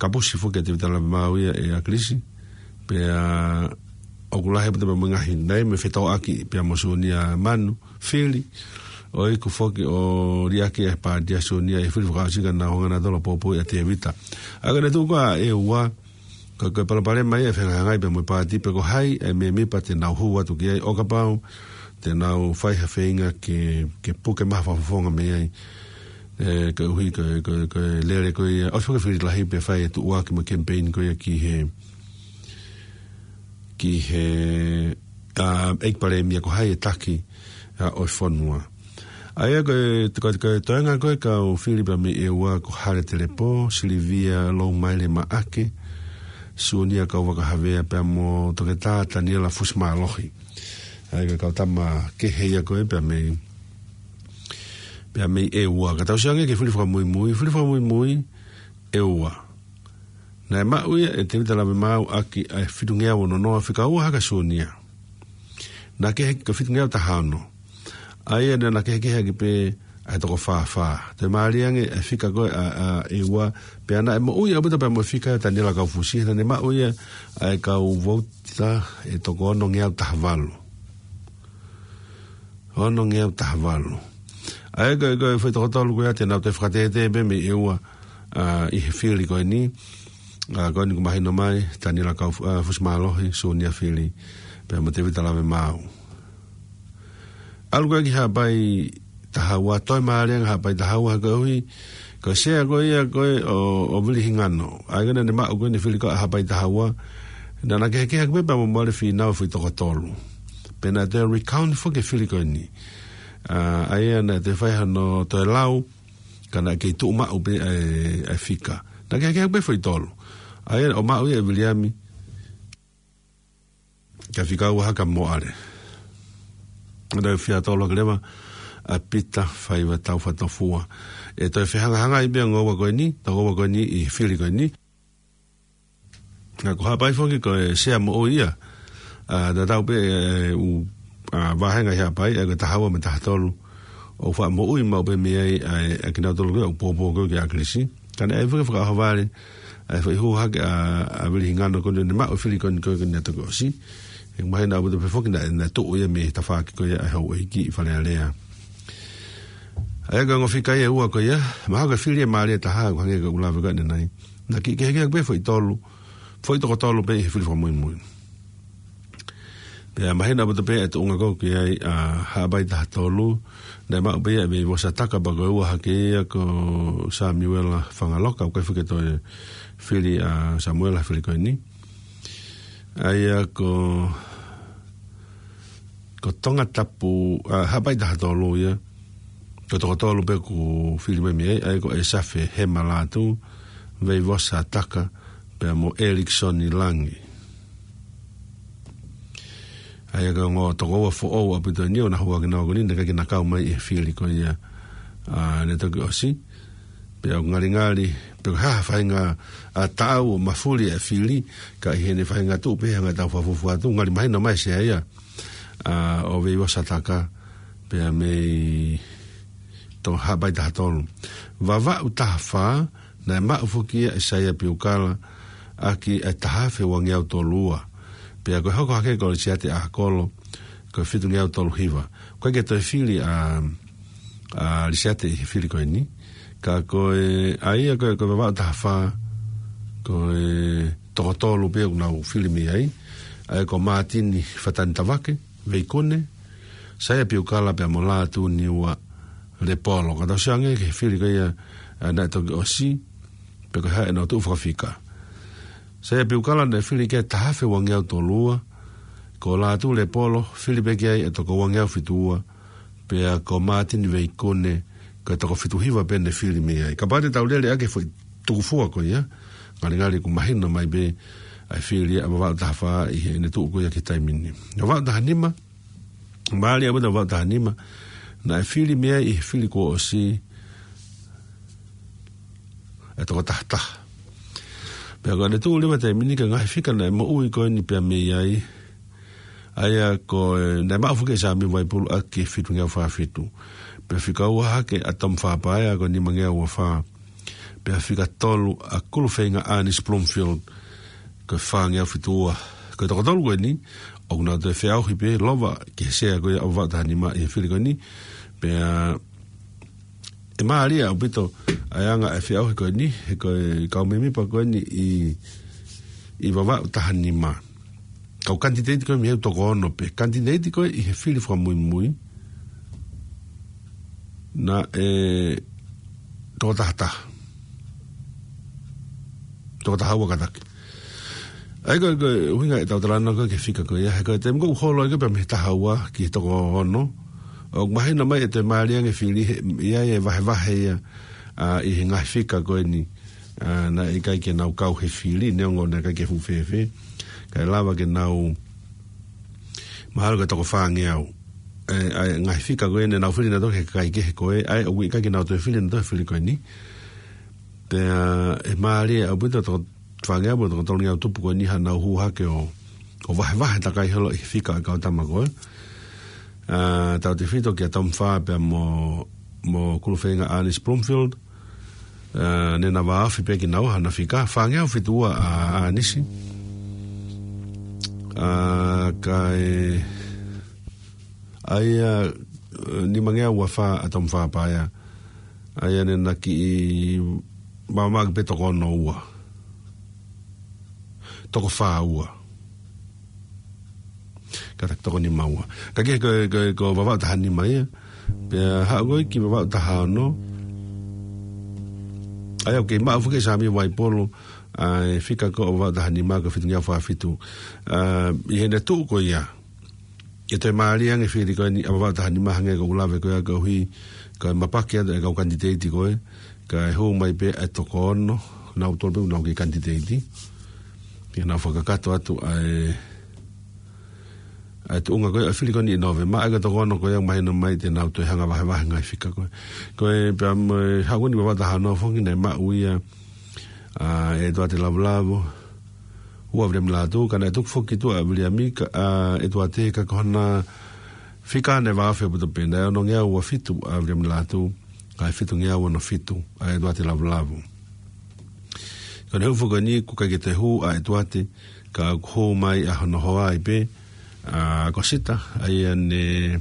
kapusi foki ʻa Tēvita Lavemaau ia ʻe ʻAkilisi. Pea ʻoku lahi ʻaupito pea mo e ngaahi, naʻe ʻi ai mo e fetōʻaki pea mo Sunia Manu, fili. ʻOku foki ʻo liʻaki ʻe he paati ʻa Siunia ʻi he fili fakaʻosi ka nau hanga nautolu ʻo poupouʻi ʻa Tevita. ʻA ia ko e tuʻu ko ē ʻa e ua, ko e, ko e palopalema ia ʻe fehangahangai pea mo e paati pe ko hai e mēmipa te nau hū atu ki ai ʻo kapau te nau fai ha feinga ke, ke puke mai ha fakafofonga mei ai. ʻE, koeʻuhi ko e, ko e, ko e lele ko ia, ʻosi foki e fili lahi pea fai e tuʻuaki mo e campaign ko ia ki he, ki he, ʻa, ʻEiki Palēmia ko hai e taki, ʻa, ʻo e fonua. ʻA ia ko e, ko e, ko e toenga ko ē kau fili pea mei ʻEua ko Hale Telepō, Silivia Loumaile Maʻake, Siunia Kauvakahavea pea mo Toketā Taniela Fusimālohi. ʻA ia ko e kau tama kehe ia ko ē pea mei, pea mei ʻEua. Ka tau sio ange ki he fili fakamuimui, fili fakamuimui, ʻEua. Naʻe maʻu ia ʻe Tevita Lavemaau ʻaki ʻa e fitungeau ono noa, fika ua hake ʻa Siunia. Naʻe kehe ko e fitungeau taha ono. ʻA ia naʻe, naʻe kehekehe ʻaki pē ʻa e toko fā fā. Toe mālie ange ʻa e fika ko ē ʻa, ʻa ʻEua, pea naʻe moʻui ʻaupito pea mo e fika ʻa Taniela Kaufusi, naʻa ne maʻu ia ʻa e kau vouti ʻe toko onongeau taha valu. Onongeau taha valu. ʻA ia ko e, ko e foʻi toko tolu ko ia te nau toe fakatētē pē mei ʻEua, ʻa, ʻi he fili ko eni. ʻA, ko eni kuo mahino mai, Taniela Kau, ʻa, Fusimālohi, Siunia Fili, pea mo Tevita Lavemaau. ʻAlu ko ē ki Haʻapai taha ua, toe mālie ange Haʻapai taha ua koeʻuhi ko e sea ko ia ko ē ʻo, ʻo Vili Hingano. ʻA ia ko ē naʻa ne maʻu ko ē ʻene fili ko ē ʻa Haʻapai taha ua. Naʻa na kehekehe ʻaki pē pea mo Moale Fīnau e foʻi toko tolu. Pea naʻe toe recount foki e fili ko eni. ʻA, ʻa ia naʻe toe fai hano toe lau, ka naʻe kei tuʻu maʻu pē ʻa e, ʻa e fika. Naʻe kehekehe ʻaki pē foʻi tolu. ʻA ia ʻo maʻu ia ʻe Viliami, ka fika ua hake ʻa Moale. Naʻe fika tolu hake leva ʻa Pita Faiva Taufatofua. ʻE toe fehangahangai pē ʻa e ongo ua ko eni, toko ua ko eni ʻi he fili ko eni. Ka ko Haʻapai foki ko e sea moʻui ia. ʻA, tatau pē, ʻe, ʻū, ʻa, vāhenga ʻi Haʻapai, ʻa ia ko e taha ua mo e taha tolu. ʻOku faʻa moʻui maʻu pē mei ai, ʻa e, ʻa kinautolu ko ē ʻoku poupou ko ē ki ʻAkilisi. Ka naʻe ʻi ai foki e fakaʻohovale, ʻa e foʻi hū hake ʻa, ʻa Vili Hingano ko eni naʻe maʻu e fili ko eni ko ē naʻe toki ʻosi. ʻE mahino ʻaupito pē foki naʻe, naʻe tuʻu ia mei he tafaʻaki ko ia ʻa e houʻeiki ʻi Fale Alea. ʻA ia ko e ongo fika ia ʻe ua ko ia, mahalo ko e fili ʻe mālie taha, ʻoku hangē ko ʻeku lave ko ē ʻanenai. Naʻe kei kehekehe pē foʻi tolu, foʻi toko tolu pē ʻi he fili fakamuimui. Pea mahino ʻaupito pē e tuʻunga ko ē ki ai ʻa Haʻapai taha tolu, naʻe maʻu pē ia ʻe Veivosa Taka pea ko e ua hake ia ko Samuela Fangaloka, ʻoku ʻikai foki ke toe fili ʻa Samuela he fili ko eni. ʻA ia ko, ko Tongatapu, ʻa, Haʻapai taha tolu ia. Ko e toko tolu pē kuo fili mai mei ai, ʻa ia ko ʻEsafe Hema Lātū, Veivosa Taka, pea mo Eriksoni Langi. ʻA ia ko e ongo toko ua foʻou ʻaupito eni ʻoku na hū hake nau ko eni, naʻe ʻikai ke na kau mai ʻi he fili ko ia, ʻa, naʻe toki ʻosi. Pea ʻoku ngalingali, pe ko e hā ha faʻahinga, ʻa, taʻau ʻo mafuli e fili, ka ʻi heʻene faʻahinga tuʻu pē hangē ʻoku tau fakafuofua atu, ngali mahino mai e sea ia, ʻa, ʻo Veivosa Taka, pea mei to Haʻapai taha tolu. Vavaʻu taha fā, naʻe maʻu foki ia ʻe Saia Piukala, ʻaki e taha afe uangeau tolu ua. Pea ko e hoko hake ko Lisiate ʻAkolo, ko e fitungeau tolu hiva. ʻOku ʻikai ke toe fili ʻa, ʻa Lisiate ʻi he fili ko eni. Ka ko e, ʻa ia ko e, ko e Vavaʻu taha fā, ko e toko tolu pē ʻoku nau fili mei ai. ʻA ia ko Mātini Fatani Tavake, Veikune, Saia Piukala pea mo Lātūniua Lepolo. Ka tau sio ange ki he fili ko ia, ʻa, naʻe toki ʻosi, pe ko e hā ʻenau tuʻu fakafika. Saia Piukala naʻe fili ki ai taha afe uangeau tolu ua, ko Lātū Lepolo, fili pē ki ai e toko uangeau fitu ua, pea ko Mātini Veikune, ko e toko fitu hiva pē naʻe fili mei ai. Kapau te tau lele ʻaki e foʻi tukufua ko ia, ngalingali ʻoku mahino mai pē ʻa e fili ʻa Vavaʻu taha fā ʻi heʻene tuʻu ko ia ki he taimi ni. Vavaʻu taha nima, mālie ʻaupito Vavaʻu taha nima, naʻe fili mei ai ʻi he fili kuo ʻosi e toko taha taha. Pea ko ʻene tuʻu leva taimi ni ki he ngaahi fika naʻe moʻui ko eni pea mei ai, ʻa ia ko e, naʻe maʻu foki ʻe Sāmiu Vaipulu ʻaki e fitungeau fā fitu. Pea fika ua hake ʻa Tom Fapaea ko e nimangeau ua fā. Pea fika tolu ʻa Kulufeinga Ernest Bloomfield, ko e fāngeau fitu ua. Ko e toko tolu ko eni, ʻoku nau toe feʻauhi pē, lova ki he sea ko ia ʻo Vavaʻu taha nima ʻi he fili ko eni. Pea ʻe mālie ʻaupito ʻa e anga e feʻauhi ko eni, he ko e kau mēmipa ko eni ʻi, ʻi Vavaʻu taha nima. Kau kanititeiti ko ē mei he toko ono pē. Kanititeiti ko ē ʻi he fili fakamuimui. Naʻe toko taha taha. Toko taha ua kātaki. ʻA ia ko e, ko e ʻuhinga ʻetau talanoa ko ē ki he fika ko ia, he ko e taimi ko ē ʻoku holo ai ko ē pea mei he taha ua ki he toko ono, ʻoku mahino mai ʻe toe mālie ange e fili he, ʻi ai e vahevahe ia, ʻa, ʻi he ngaahi fika ko eni, ʻa, naʻe ʻikai ke nau kau he fili, neongo naʻe ʻikai ke fuʻu fēfē. Kae lava ke nau mahalo ko e toko fāngeau. ʻE, ʻa e ngaahi fika ko ē naʻa nau fili nautolu he kakai kehe ko ē, ʻa ia ʻoku ʻikai ke nau toe fili nautolu he fili ko eni. Pea ʻe mālie ʻaupito toko fāngeau mo e toko tolungeau tupu ko eni haʻanau hū hake ʻo, ʻo vahevahe takai holo ʻi he fika ʻa e kau tama ko ē. ʻA, tautefito kia Tom Farr pea mo, mo Kulufeinga Ernest Bloomfield. ʻA, naʻa na vāofi pē kinaua hana fika, fāngeau fitu ua ʻa, ʻa ʻAnisi. ʻA, kae, ʻa ia, ʻe, nimangeau ua fā ʻa Tom Farr pea ia. ʻA ia naʻa na kiʻi māmāʻaki pē toko ono ua. Toko fā ua. Kātaki toko nima ua. Ka ke ko, ko, ko Vavaʻu taha nima ia. Pea haʻu ko ē ki Vavaʻu taha ono. ʻA ia ʻoku kei maʻu foki ʻe Sāmia Vaipolo ʻa e fika ko ē ʻo Vavaʻu taha nima ko e fitungeau fā fitu. ʻA, ʻi heʻene tuʻu ko ia, ʻe toe mālie ange e fili ko eni ʻa Vavaʻu taha nima hangē ko ʻeku lave ko ia koeʻuhi ko e mapaki atu e kau kanititeiti ko ē, kae hū mai pē ʻa e toko ono, nautolu pē ʻoku nau kei kanititeiti. Pea nau fakakakato atu ʻa e, ʻa e tuʻunga ko ē ʻa e fili ko eni ʻi Nōvema, ʻa ia ko e toko ono ko ia ʻoku mahino mai te nau toe hanga vahevahe ngaahi fika ko ē. Ko e pea mo e haʻu ko eni Vavaʻu taha ono foki naʻe maʻu ia ʻa ʻEtuate Lavulavu, ua Viliami Lātū, ka naʻe tuku foki ki tuʻa ʻa Viliami ka, ʻa ʻEtuate ka ko hona fika naʻe vāofi ʻaupito pē, naʻe onongeau ua fitu ʻa Viliami Lātū, kae fitungeau ono fitu ʻa ʻEtuate Lavulavu. Ko ʻene hū foki ko eni ʻoku ʻikai ke toe hū ʻa ʻEtuate, ka ʻoku hū mai ʻa hono hoa ai pē, ʻa ʻAkosita, ʻa ia naʻe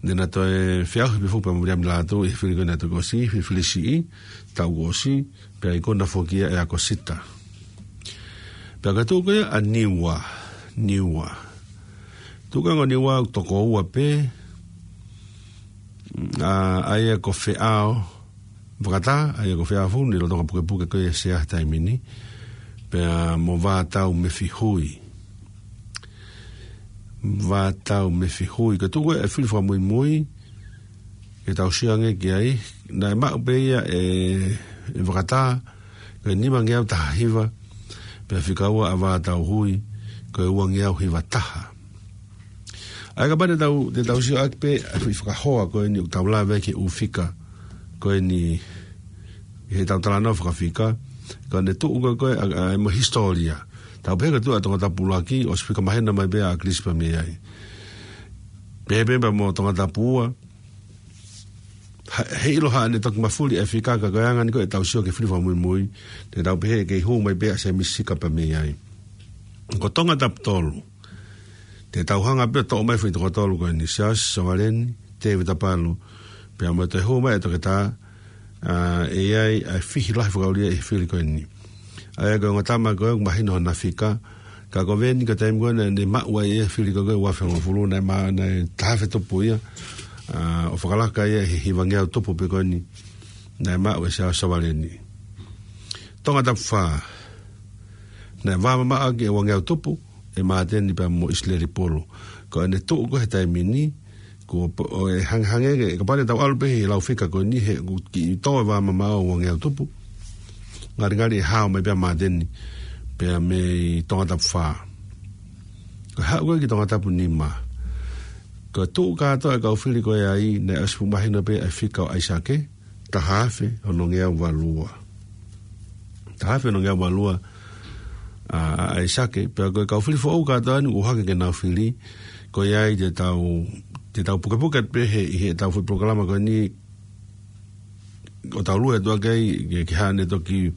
Naʻa na toe feʻauhi pē foki pea mo Viliami Lātū ʻi he fili ko ē naʻe toki ʻosi, fili, fili siʻi, taʻu kuo ʻosi, pea ikuna foki ia ʻe ʻAkosita. Pea ka tuʻu ko ia ʻa Niua, Niua. Tuʻu ko ia ʻa Niua ʻoku toko ua pē, ʻa, ʻa ia ko Feʻao, Vakatā, ʻa ia ko Feʻao Funu, lolotonga pukepuke ko ia ʻa e sea he taimi ni. Pea mo Vātau Mefihui. Vātau Mefihui. Ka tuʻu ko ē ʻa e fili fakamuimui, ke tau sio ange ki ai, naʻe maʻu pē ia ʻe, ʻe Vakatā, ko e nimangeau taha hiva, pea fika ua ʻa Vātau Hui, ko e uangeau hiva taha. ʻA ia kapau te tau, te tau sio ʻaki pē ʻa e foʻi fakahoa ko eni ʻoku tau lave ki he ʻū fika ko eni ʻi heʻetau talanoa fakafika, ko ʻene tuʻu ko ē ko ē ʻa, ʻa, mo e hisitōlia. Tau pehē ko e tuʻu ʻa Tongatapu ʻuluaki, ʻosi fika maheni mai pē ʻa ʻAkilisi pea mei ai. Pehē pē pea mo Tongatapu ua, ha-, heiʻilo haʻane toki mafuli e fika ka ko e anga eni ko ē ʻetau sio ki he fili fakamuimui, te tau pehē ʻe kei hū mai pē ʻa Sēmisi Sika pea mei ai. Ko Tongatapu tolu. Te tau hanga pē ʻo toʻo mai e foʻi toko tolu ko eni, Siaosi Sovaleni, Tēvita Palu, pea mo e toe hū mai ʻa Toketā, ʻa, ʻe ʻi ai ʻa e fihi lahi fakaʻulia ʻi he fili ko eni. ʻA ia ko e ongo tama ko ē ʻoku mahino hona fika, ka ko Veni ko e taimi ko ē naʻa ne maʻu ai e fili ko ē ua afe hongofulu naʻe ma-, naʻe taha afe tupu ia, ʻa, ʻo fakalaka ia ʻi he hivangeau tupu pē ko eni, naʻe maʻu ʻe Siaosi Sovaleni. Tongatapu fā, naʻe vāmamaʻo ʻaki e uangeau tupu, ʻe Māteni pea mo ʻIsileli Pulu. Ko ʻene tuʻu ko ē he taimi ni, ko p-, ʻo e hangehangē ke, kapau te tau ʻalu pē he lau fika ko eni he ʻoku kiʻi tō e vāmamaʻo ʻo e uangeau tupu. Ngalingali ʻe hao mai pē ʻa Māteni, pea mei Tongatapu fā. Ko e haʻu ko ē ki Tongatapu nima. Ko e tuʻu kātoa e kau fili ko ē ai, naʻe ʻosi fuʻu mahino pē ʻa e fika ʻo ʻAisake, taha afe onongeau valua. Taha afe onongeau valua, ʻa, ʻa ʻAisake, pea ko e kau fili foʻou kātoa eni ʻoku hake ke nau fili, ko ia ai te tau, te tau pukepuke atu pē he, ʻi heʻetau foʻi polokalama ko eni, ʻo tau lue atu ʻaki ai, ke, ke hane toki,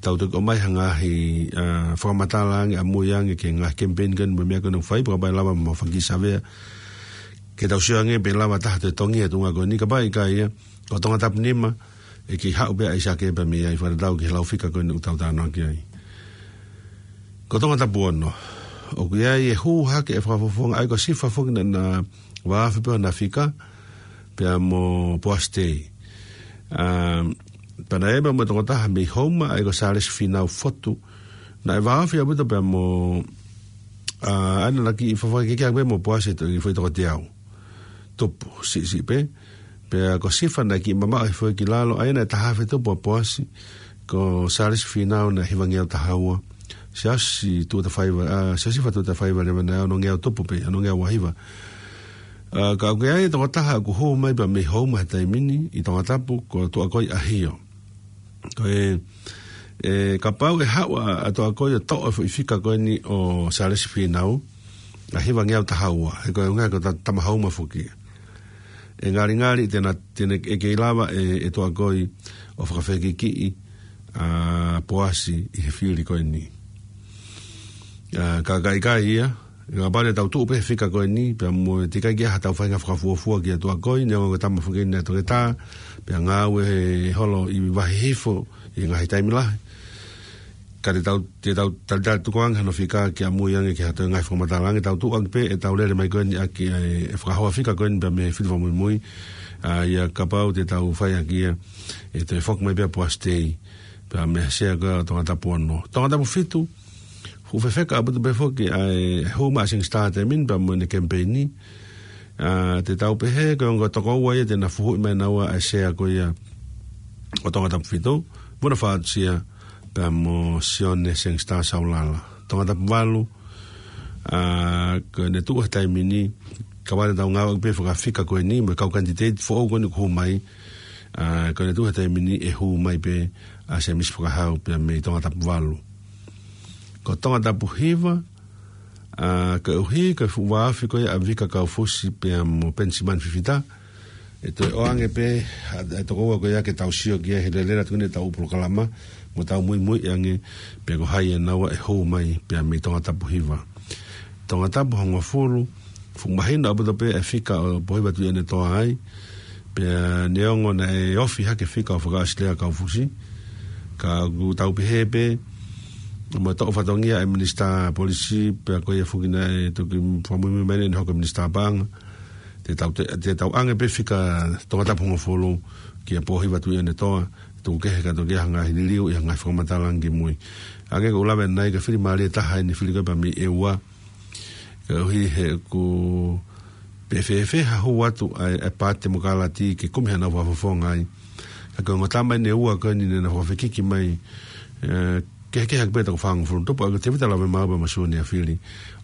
tau toki ʻomai ha ngaahi, ʻa, fakamatala ange, ʻamui ange, ki he ngaahi kemipeini ko eni mo e meʻa ko eni ʻoku fai, pea kapau ʻe lava mo faki savea. Ke tau sio ange pe lava taha toe tongi e tuʻunga ko eni, kapau ʻe ʻikai ia, ko Tongatapu nima, ʻe kei haʻu pē ʻa ʻAisake pea mei ai. Fakatatau ki he lau fika ko eni ʻoku tau talanoa ki ai. Ko Tongatapu ono, ʻoku ʻi ai e hū hake e fakafofonga, ʻa ia ko Sifa foki naʻa na vāofi pē hona fika, pea mo Poasi Tei. ʻA, pea naʻe ʻi ai pē mo e tokotaha mei Houma, ʻa ia ko Sālesi Fīnau Fotu. Naʻe vāofi ʻaupito pea mo, ʻa, ʻa ia naʻa na kiʻi fakakehekehe pē mo Poasi ʻi he foʻi toko teau tupu, siʻisiʻi pē. Pea ko Sifa naʻe kiʻi mamaʻo hifo ia ki lalo, ʻa ia naʻe taha afe tupu ʻa Poasi, ko Sālesi Fīnau naʻe hivangeau taha ua. Siasi Tuʻatafaiva, ʻa, Siasi Fa Tuʻatafaiva leva naʻe onongeau tupu pē, onongeau ua hiva. ʻA, ka ʻoku ʻi ai e tokotaha ʻoku hū mai pea mei Houma he taimi ni ʻi Tongatapu, ko Tuʻakoi ʻAhio. Ko e, ʻe, kapau ʻe haʻu ʻa, ʻa Tuʻakoi ʻo toʻo e foʻi fika ko eni ʻo Sālesi Fīnau, ʻa hivangeau taha ua, he ko e ʻuhinga ko e ta-, tama Houma foki. ʻE ngalingali te na, te ne, ʻe kei lava ʻe, ʻe Tuʻakoi ʻo fakafekikiʻi ʻa Poasi ʻi he fili ko eni. ʻA, ka, ka ʻikai ia, kapau te tau tuʻu pē he fika ko eni, pea mo e teʻeki ai ke ʻi ai haʻatau faʻahinga fakafuofua kia Tuʻakoi, neongo ko e tama foki eni ʻa e toketā, pea ngāue he holo ʻi Vahihifo ʻi he ngaahi taimi lahi. Ka te tau, te tau talitali tukuange hano fika ke ʻamui ange ki ha toe ngaahi fakamatala ange, tau tuʻu ange pē ʻetau lele mai ko eni ʻaki ʻa e, e fakahoa fika ko eni pea mei he fili fakamuimui, ʻa ia kapau te tau fai ʻaki ia, ʻe toe foki mai pē ʻa Poasi Tei, pea mei he sea ko ia ʻo Tongatapu ono. Tongatapu fitu, fuʻu fefeka ʻaupito pē foki ʻa e hū mai ʻa Seng Star taimi ni pea mo ʻene kemipeini. ʻA, te tau pehē ko e ongo tokoua ia te na fuhuʻi mai naua ʻa e sea ko ia ʻo Tongatapu fitu, Vuna Fatusia pea mo Sione Seng Star Saulala. Tongatapu valu, ʻa, ko ʻene tuʻu he taimi ni, kapau te tau ngāueʻaki pē fakafika ko eni, mo e kau kanititeiti foʻou ko eni ʻoku hū mai, ʻa, ko ʻene tuʻu he taimi ni ʻe hū mai pē ʻa Semisi Fakahau pea mei Tongatapu valu. Ko Tongatapu hiva, ʻa, koeʻuhi ko e fuʻu vāofi ko ia ʻa Vika Kaufusi pea mo Penisimani Fifita, ʻe toe ʻoange pē ʻa, ʻa e tokoua ko ia ke tau sio ki ai he lele atu ki heʻetau polokalama, mo tau muimui ange pe ko hai ʻe naua ʻe hū mai pea mei Tongatapu hiva. Tongatapu hongofulu, fuʻu mahino ʻaupito pē e fika ʻo Pōhiva Tuʻiʻonetoa ai, pea neongo naʻe ofi hake fika ʻo Fakaʻosilea Kaufusi, ka ʻoku tau pehē pē, mo e toʻo fatongia ʻa e Minisitā Polisi, pea ko ia foki naʻe toki fakamuimui mai ʻene hoko ko e Minisitā Paʻanga, te tau, te, te tau ʻange pē fika Tongatapu hongofulu kia Pōhiva Tuʻiʻonetoa, tuku kehe ka toki ʻi ai ha ngaahi liliu, ʻi ai ha ngaahi fakamatala ange ki mui. Hangē ko ʻeku lave ʻanenai, ko e fili mālie taha eni e fili ko ia pea mei ʻEua. Koeʻuhi he ʻoku pē fēfē ha hū atu ʻa e, ʻa e Paati Temokalati ke kumi haʻanau fakafofonga ai. Ka ko e ongo tama eni ʻe ua ko eni naʻa na fakafekiki mai, ʻe, kehekehe ʻaki pē e toko fāngofulu tupu, ʻa ia ko Tēvita Lavemaau pea mo Sione Afili,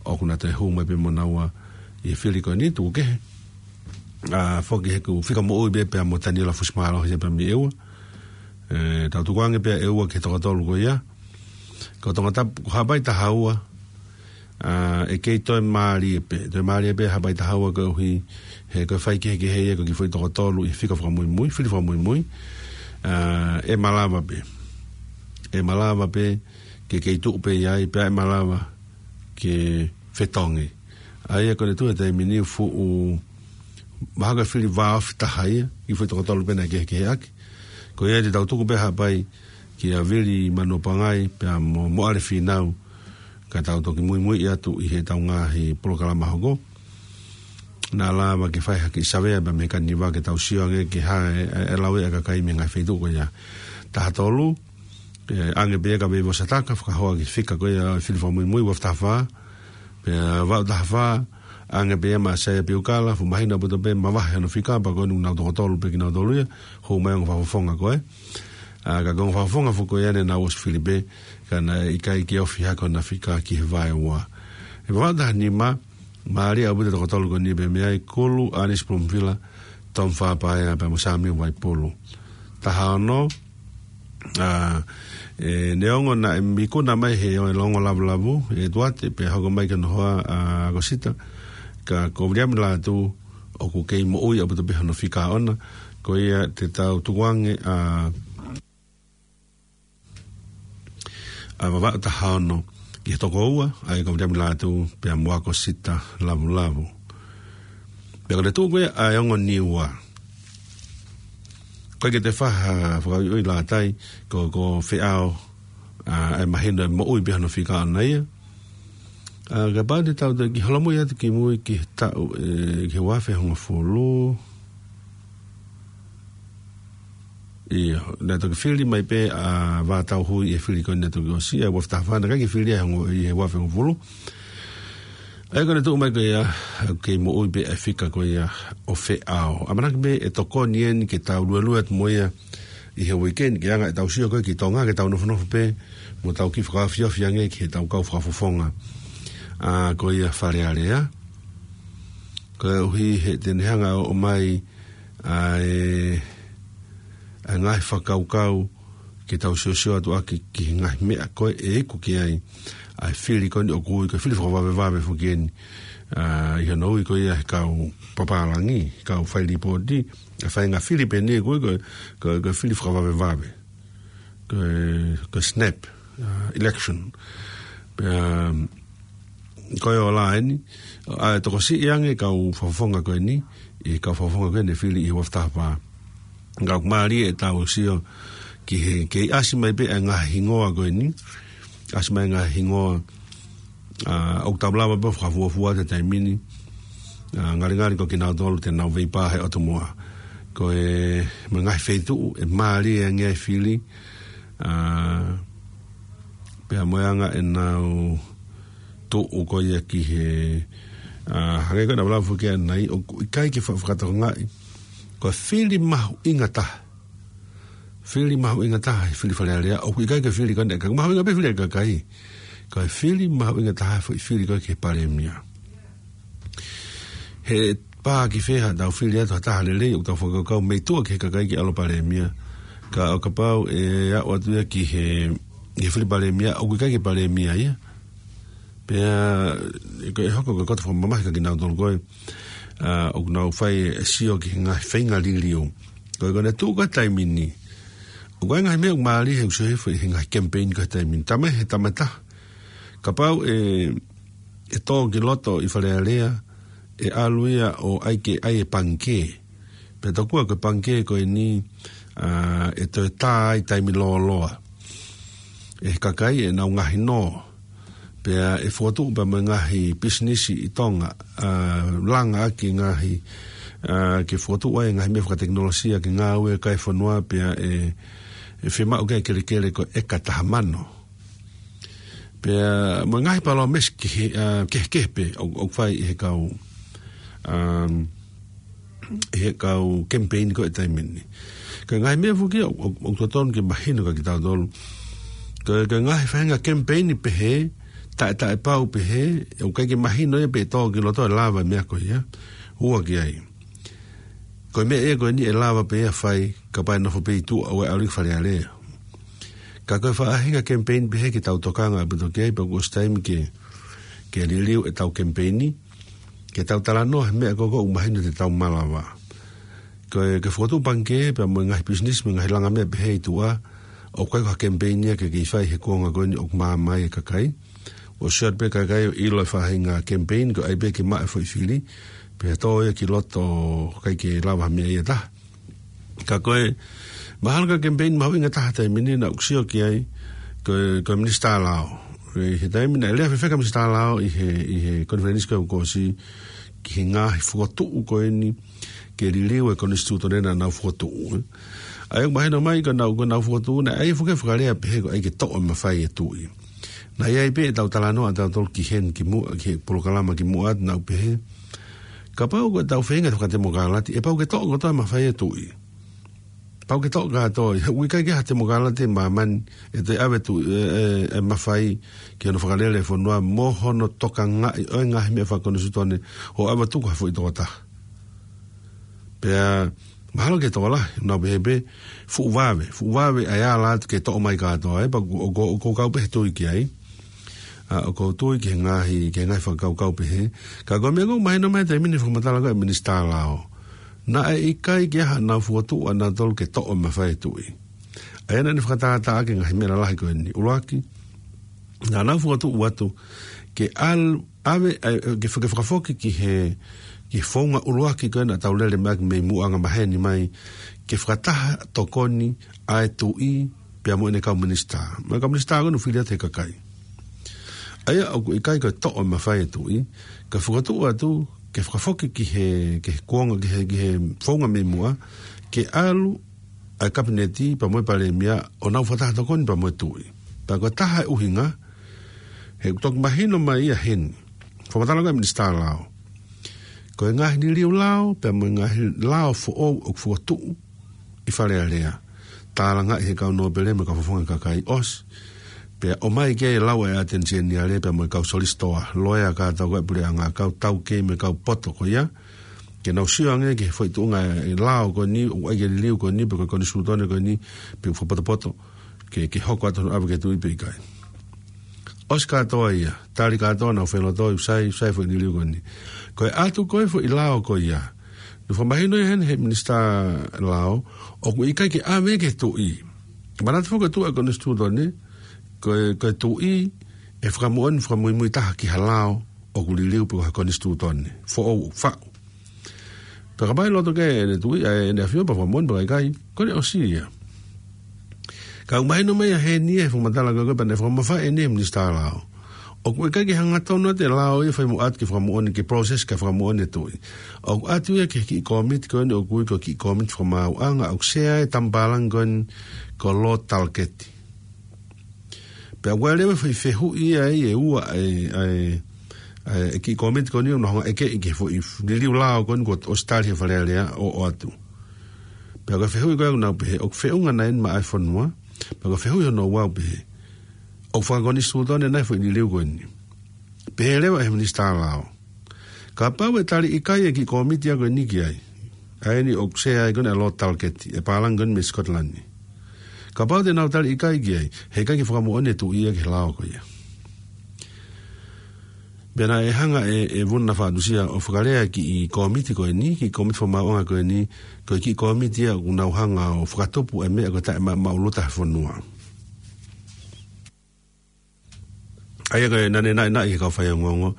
ʻoku na toe hū mai pē mo naua ʻi he fili ko eni, tuku kehe. ʻA, foki he ʻoku fika moʻui pē pea mo Taniela Fusimālohi ia pea mei ʻEua. ʻE, tau tukuange pē ʻa ʻEua ki he toko tolu ko ia. Ko Tongatapu, ko Haʻapai taha ua, ʻa, ʻe kei toe mālie pē. Toe mālie pē Haʻapai taha ua koeʻuhi he ko e faikehekehe ia ko e kiʻi foʻi toko tolu ʻi he fika fakamuimui, fili fakamuimui. ʻA, ʻe malava pē. ʻE malava pē ke kei tuʻu pē ʻi ai, pea ʻe malava ke fetongi. ʻA ia ko ʻene tuʻu he taimi ni fuʻu mahalo ko e fili vāofi taha ia, kiʻi foʻi toko tolu pē naʻe kehekehe ʻaki. Ko ia te tau tuku pē Haʻapai kia Vili Manuapangai pea mo Moʻale Fīnau, ka tau toki muimui atu ʻi heʻetau ngaahi polokalama hoko. Naʻa lava ke fai ha kiʻi savea pea mei he kaniva ke tau sio ange ki he hā e, e, e lau ʻa e kakai mei he ngaahi feituʻu ko ia. Taha tolu, ʻe, ʻange pē ia kia Veivosa Taka, fakahoa ki he fika ko ia ʻo e fili fakamuimui, ua taha fā, pea vaʻu taha fā, ʻange pē ia maʻa Saia Piukala, fuʻu mahino ʻaupito pē, mavahe hono fika, pea ko eni ʻoku nau toko tolu pē kinautolu ia, hū mai ongo fakafofonga ko ē. ʻA, ka ko e ongo fakafofonga foki ko ia naʻa nau ʻosi fili pē, ka naʻe ʻikai ke ofi hake hona fika ki he vaeua. ʻE vaʻu taha nima, mālie ʻaupito e toko tolu ko eni pea mei ai, Kulu ʻAnisi Pulumufila, Tom Fapaea pea mo Samiu Vaipulu. Taha ono, ʻa, ʻe, neongo naʻe ikuna mai he ʻo e Longo Lavulavu ʻe Tuate, pea hoko mai ki hono hoa ʻa ʻAkosita, ka ko Viliami Lātū ʻoku kei moʻui ʻaupito pē hono fika ʻoʻona, ko ia te tau tukuange ʻa, ʻa Vavaʻu taha ono ki he toko ua, ʻa ia ko Viliami Lātū pea mo ʻAkosita Lavulavu. Pea ko e tuʻu ko ia ʻa e ongo Niua. Ko e ke te faha fakaʻuiʻui lātai, ko, ko Feʻao, ʻa, ʻe mahino ʻe moʻui pē hono fika ʻana ia. ʻA, kapau te tau te ki holomui atu ki mui ki he taʻu, ʻe, ki he ua afe hongofulu. ʻIo, naʻe toki fili mai pē ʻa Vātauhui ʻi he fili ko eni naʻe toki ʻosi, ʻa e ua afe taha fā naʻe ʻikai ke fili ai hongo ʻi he ua afe hongofulu. ʻA ia ko e tuʻu mai ko ia, ʻoku kei moʻui pē ʻa e fika ko ia ʻo Feʻao. ʻAmanaki pē ʻe tokoni eni ke tau luelue atu mo ia ʻi he weekend ke anga ʻetau sio ko ē ki Tonga ke tau nofonofo pē, mo tau kiʻi fakaofiofi ange ki heʻetau kau fakafofonga. ʻA, ko ia Fale Alea. Koeʻuhi he te ne hanga ʻo ʻomai ʻa e, ʻa e ngaahi fakakaukau ke tau siosio atu ʻaki ki he ngaahi meʻa ko ē ʻe iku ki ai ʻa e fili ko eni ʻoku ui ko e fili fakavavevave foki eni, ʻa, ʻi hono ui ko ia he kau papālangi, kau fai lipooti, ʻa e faʻahinga fili pē eni ʻoku ui ko e, ko e, ko e fili fakavavevave. Ko e, ko e snap, ʻa, election. Pea, ko e ola eni, ʻa e tokosiʻi ange kau fakafofonga ko eni, ʻi he kau fakafofonga ko eni fili ʻi he ua afe taha fā. Ka ʻoku mālie ʻetau sio ki he, kei ʻasi mai pē ʻa e ngaahi hingoa ko eni, ʻasi mai ngaahi hingoa, ʻa, ʻoku tau lava pē fakafuafua he taimi ni, ʻa, ngalingali ko kinautolu te nau veipā he ʻotu moa. Ko e, mo e ngaahi feituʻu, ʻe mālie ange ʻa e fili, ʻa, pea mo e anga ʻenau tuʻu ko ia ki he, ʻa, hangē ko e naʻa lava foki ʻanenai, ʻoku ʻikai ke fa-, fakatokangaʻi. Ko e fili mahuʻinga taha. Fili mahuʻinga taha, he fili Fale Alea, ʻoku ʻikai ke fili ko eni, ka mahuʻinga pē fili ʻa e kakai. Ko e fili mahuʻinga taha, foʻi fili ko ē ki he palēmia. He pā ki fē haʻatau fili atu ha taha lelei, ʻoku tau fakakaukau mei tuʻa ki he kakai ke ʻalu palēmia. Ka ʻo kapau ʻe aʻu atu ia ki he, he fili palēmia, ʻoku ʻikai ke palēmia ia. Pea, ʻe ko e hoko ko e koto fakamamahi kia kinautolu ko ē, ʻa, ʻoku nau fai e sio ki he ngaahi feinga liliu. Ko e ko ʻene tuʻu ko e taimi ni. ʻOku ʻi ai e ngaahi meʻa ʻoku mālie he ʻoku sio hifo ʻi he ngaahi campaign ko e taimi ni. Tama he tama taha. Kapau ʻe, ʻe tō ki loto ʻi Fale Alea, ʻe ʻalu ia ʻo ʻai ke ʻai e pangikē. Pea tokua ko e pangikē ko eni, ʻa, ʻe toe tā ai taimi lōloa. ʻE he kakai ʻenau ngaahi nō. Pea ʻe fokotuʻu pea mo e ngaahi pisinisi ʻi Tonga, ʻa, langa ʻaki e ngaahi, ʻa, ke fokotuʻu ai e ngaahi meʻa fakatekinolosia ke ngāue kai fonua pea ʻe, ʻe fiemaʻu ke kelekele ko e ʻeka taha mano. Pea mo e ngaahi palōmesi kehe, ʻa, kehekehe pē ʻoku, ʻoku fai ʻe he kau, um, ʻe he kau campaign ko e taimi ni. Ko e ngaahi meʻa foki ʻoku, ʻoku, ʻoku totonu ke mahino kia kitautolu. Ko e, ko e ngaahi faʻahinga campaign pehē, taʻe, taʻepau pehē, ʻoku ʻikai ke mahino ia pe ʻe tō ki loto ʻe lava e meʻa ko ia. Ua ki ai. Ko e meʻa ia ko eni ʻe lava pē ia fai, kapau ʻe nofo pē ʻi tuʻa ʻo ʻalu ki Fale Alea. Ka ko e faʻahinga campaign pehē ke tau tokanga ʻaupito ki ai, pea kuo ʻosi taimi ke, ke liliu ʻetau campaign, ke tau talanoa he meʻa ko ē ʻoku mahino te tau malava. Ko e, ke fokotuʻu pangikē, pea mo e ngaahi pisinisi, mo e ngaahi langa meʻa pehē ʻi tuʻa, ʻoku ʻikai ko ha campaign ia ke kei fai he kuonga ko eni ʻoku maama ai e kakai. ʻOsi atu pē kakai ʻo ʻilo e faʻahinga campaign, ko e ʻai pē ke maʻu e foʻi fili, pea tō ia ki loto ʻikai ke lava ha meʻa ia taha. Ka ko e, mahalo ko e campaign mahuʻinga taha taimi ni naʻa ku sio ki ai, ko e, ko e Minisitā Lao. ʻI he taimi naʻe lea fefeka Minisitā Lao ʻi he, ʻi he konifelenisi ko ē kuo ʻosi ki he ngaahi fokotuʻu ko eni, ke liliu e konisitūtone naʻa nau fokotuʻu. ʻA ia ʻoku mahino mai ko ʻenau, ko ʻenau fokotuʻu naʻe ʻai foki e fakalea pehē ko e ʻai ke toʻo e mafai e tuʻi. Naʻe ʻi ai pē ʻetau talanoa ʻatautolu ki heni ki muʻa, ki he polokalama ki muʻa atu naʻa ku pehē. Kapau ko ʻetau feinga fakatemokalati, ʻe pau ke toʻo kotoa e mafai e tuʻi. Pau ke toʻo kātoa, he ʻoku ʻikai ke ha temokalati ʻi māmani, ʻe toe ʻave tuʻi, ʻe, ʻe, ʻe mafai, ki hono fakalele e fonua, mo hono tokangaʻi ʻo e ngaahi meʻa fakakonisitūtone, ʻo ʻave tuku ha foʻi tokotaha. Pea, mahalo ke tokolahi, naʻa ku pehē pē, fuʻu vave, fuʻu vave ʻa e ala atu ke toʻo mai kātoa, ʻe, pea ʻoku, ʻoku, ʻoku ou kau pē he tui ki ai. ʻA, ʻoku ou tui ki he ngaahi, ki he ngaahi fakakaukau pehē. Ka ko e meʻa ʻoku mahino mai taimi ni fakamatala ko ē Minisitā Lao. Naʻe ʻikai ke ʻi ai haʻanau fokotuʻu ʻanautolu ke toʻo e mafai e tuʻi. ʻA ia naʻa ne fakatātā ʻaki e ngaahi meʻa lalahi ko eni. ʻUluaki, naʻa nau fokotuʻu atu ke ʻal-, ʻave, ʻa, ke faka-, fakafoki ki he, ki he founga ʻuluaki ko ē naʻa tau lele mai ʻaki mei muʻa anga maheni mai, ke fakataha tokoni ʻa e tuʻi pea mo ʻene kau minisitā. Mo e kau minisitā ko ē naʻe fili atu he kakai. ʻA ia ʻoku ʻikai ko e toʻo e mafai e tuʻi, ka fakatuʻu atu, ke fakafoki ki he, ki he kuonga, ki he, ki he founga mei muʻa, ke ʻalu ʻa e kapineti pea mo e palēmia ʻo nau fakataha tokoni pea mo e tuʻi. Pea ko e taha e ʻuhinga, he ʻoku toki mahino mai ia heni. Fakamatala ko ē ʻa e minisitā lao. Ko e ngaahi liliu lao, pea mo e ngaahi lao foʻou ʻoku fokotuʻu ʻi Fale Alea. Tālangaʻi he kau nōpele mo e kau fakafofonga kakai ʻosi. Pea ʻomai ke lau e ʻAteni Seniale pea mo e kau solisitoa. Loea kātoa ko ē ʻa e puleʻanga, kau taukei mo e kau poto ko ia. Ke nau sio ange ki he foʻi tuʻunga e lao ko eni, ʻoku ʻai ke liliu ko eni, pe ko e konisitūtone ko eni, pe fakapotopoto. Ke, ke hoko atu hono ʻave ki he tuʻi pe ʻikai. ʻOsi kātoa ia, tali kātoa nau felotoi, ʻoku sai, ʻoku sai e foʻi liliu ko eni. Ko e ʻatu ko ē foʻi lao ko ia. Naʻe fakamahino ia heni he minisitā lao, ʻoku ʻikai ke ʻave ki he tuʻi. Manatu foki ko e tuʻu ʻa e konisitūtone, ko e, ko e tuʻi, ʻe fakamoʻoni fakamuimui taha ki ha lao, ʻoku liliu pe ko ha konisitūtone. Foʻou ʻoku faʻu. Pea kapau ʻe loto ke ʻene tuʻi, ʻa ʻene ʻAfio pea fakamoʻoni pe ʻikai, ko ʻene ʻosi ia. Ka ʻoku mahino mai ia heni he fakamatala ko ē pea naʻe fakamafai ʻeni he minisitā lao. ʻOku ʻikai ke hangatonu atu e lao ia fai mo ʻatu ke fakamoʻoni, ke process ke fakamoʻoni e tuʻi. ʻOku ʻatu ia ki he kiʻi kōmiti ko eni ʻoku ui ko e kiʻi kōmiti fakamaauʻanga, ʻoku sea e tamapalani ko eni ko Lord Talketi. Pea ʻoku ʻi ai leva e foʻi fehuʻi ia ʻe ua e, e, e, e kiʻi kōmiti ko eni ʻoku nau hanga ʻo ʻekeʻi ki he foʻi liliu lao ko eni kuo ʻosi tali he Fale Alea ʻo, ʻo ʻoatu. Pea ko e fehuʻi ko ē ʻoku nau pehē, ʻoku feʻunga nai eni maʻa e fonua. Pea ko e fehuʻi hono ua ʻoku pehē, ʻoku fakakonisitūtone nai e foʻi liliu ko eni. Pehē leva ʻe he minisitā lao. Kapau ʻe tali ʻikai e kiʻi kōmiti ia ko eni ki ai. ʻA eni ʻoku sea ai ko eni ʻa Lord Talketi, e palani ko eni mei Scotland. Kapau te nau tali ʻikai ki ai, heʻikai ke fakamoʻoni e tuʻi ia ki he lao ko ia. Pea naʻe hanga ʻe, ʻe Vuna Fatusia ʻo fakalea e kiʻi kōmiti ko eni, kiʻi kōmiti fakamaauʻanga ko eni, ko e kiʻi kōmiti ia ʻoku nau hanga ʻo fakatupu e meʻa ko e taʻemaʻumaʻuluta he fonua. ʻA ia ko e naʻe naʻinaʻi he kau faiongoongo.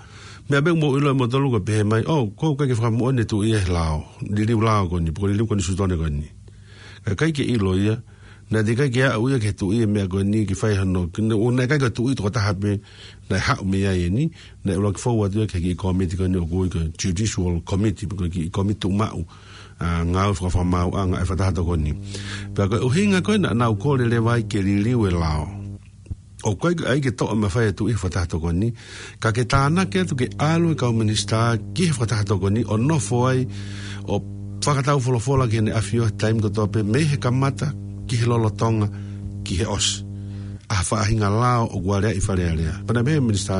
Meʻa pē ʻoku mou ʻilo ʻe moutolu ko e pehē mai, ʻo, ʻoku ʻikai ke fakamoʻoni e tuʻi ia he lao, liliu lao ko eni, pe ko e liliu konisitūtone ko eni. Ka ʻikai ke ʻilo ia, naʻe teʻeki ai ke aʻu ia ki he tuʻi e meʻa ko eni ke fai hano, ke ne, ʻo naʻe ʻikai ko e tuʻi tokotaha pē naʻe haʻu mei ai eni, naʻe ʻuluaki fou atu ia ki he kiʻi kōmiti ko eni ʻoku ui ko e Judicial Committee, pe ko e kiʻi kōmiti tuʻumaʻu, ʻa, ngāue fakafakamāuʻanga e fakataha tokoni. Pea ko e ʻuhinga ko ē naʻa nau kole leva ai ke liliu e lao. ʻOku ʻikai ke toʻo e mafai e tuʻi he fakataha tokoni, ka ke tānaki atu ke ʻalu e kau minisitā ki he fakataha tokoni ʻo nofo ai ʻo fakataufolofola ki heʻene ʻAfio he taimi kotoa pē mei he kamata ki he lolotonga ki he ʻosi. ʻA e faʻahinga lao ʻoku aleaʻi ʻi Fale Alea. Pea naʻe pehē ʻe he minisitā,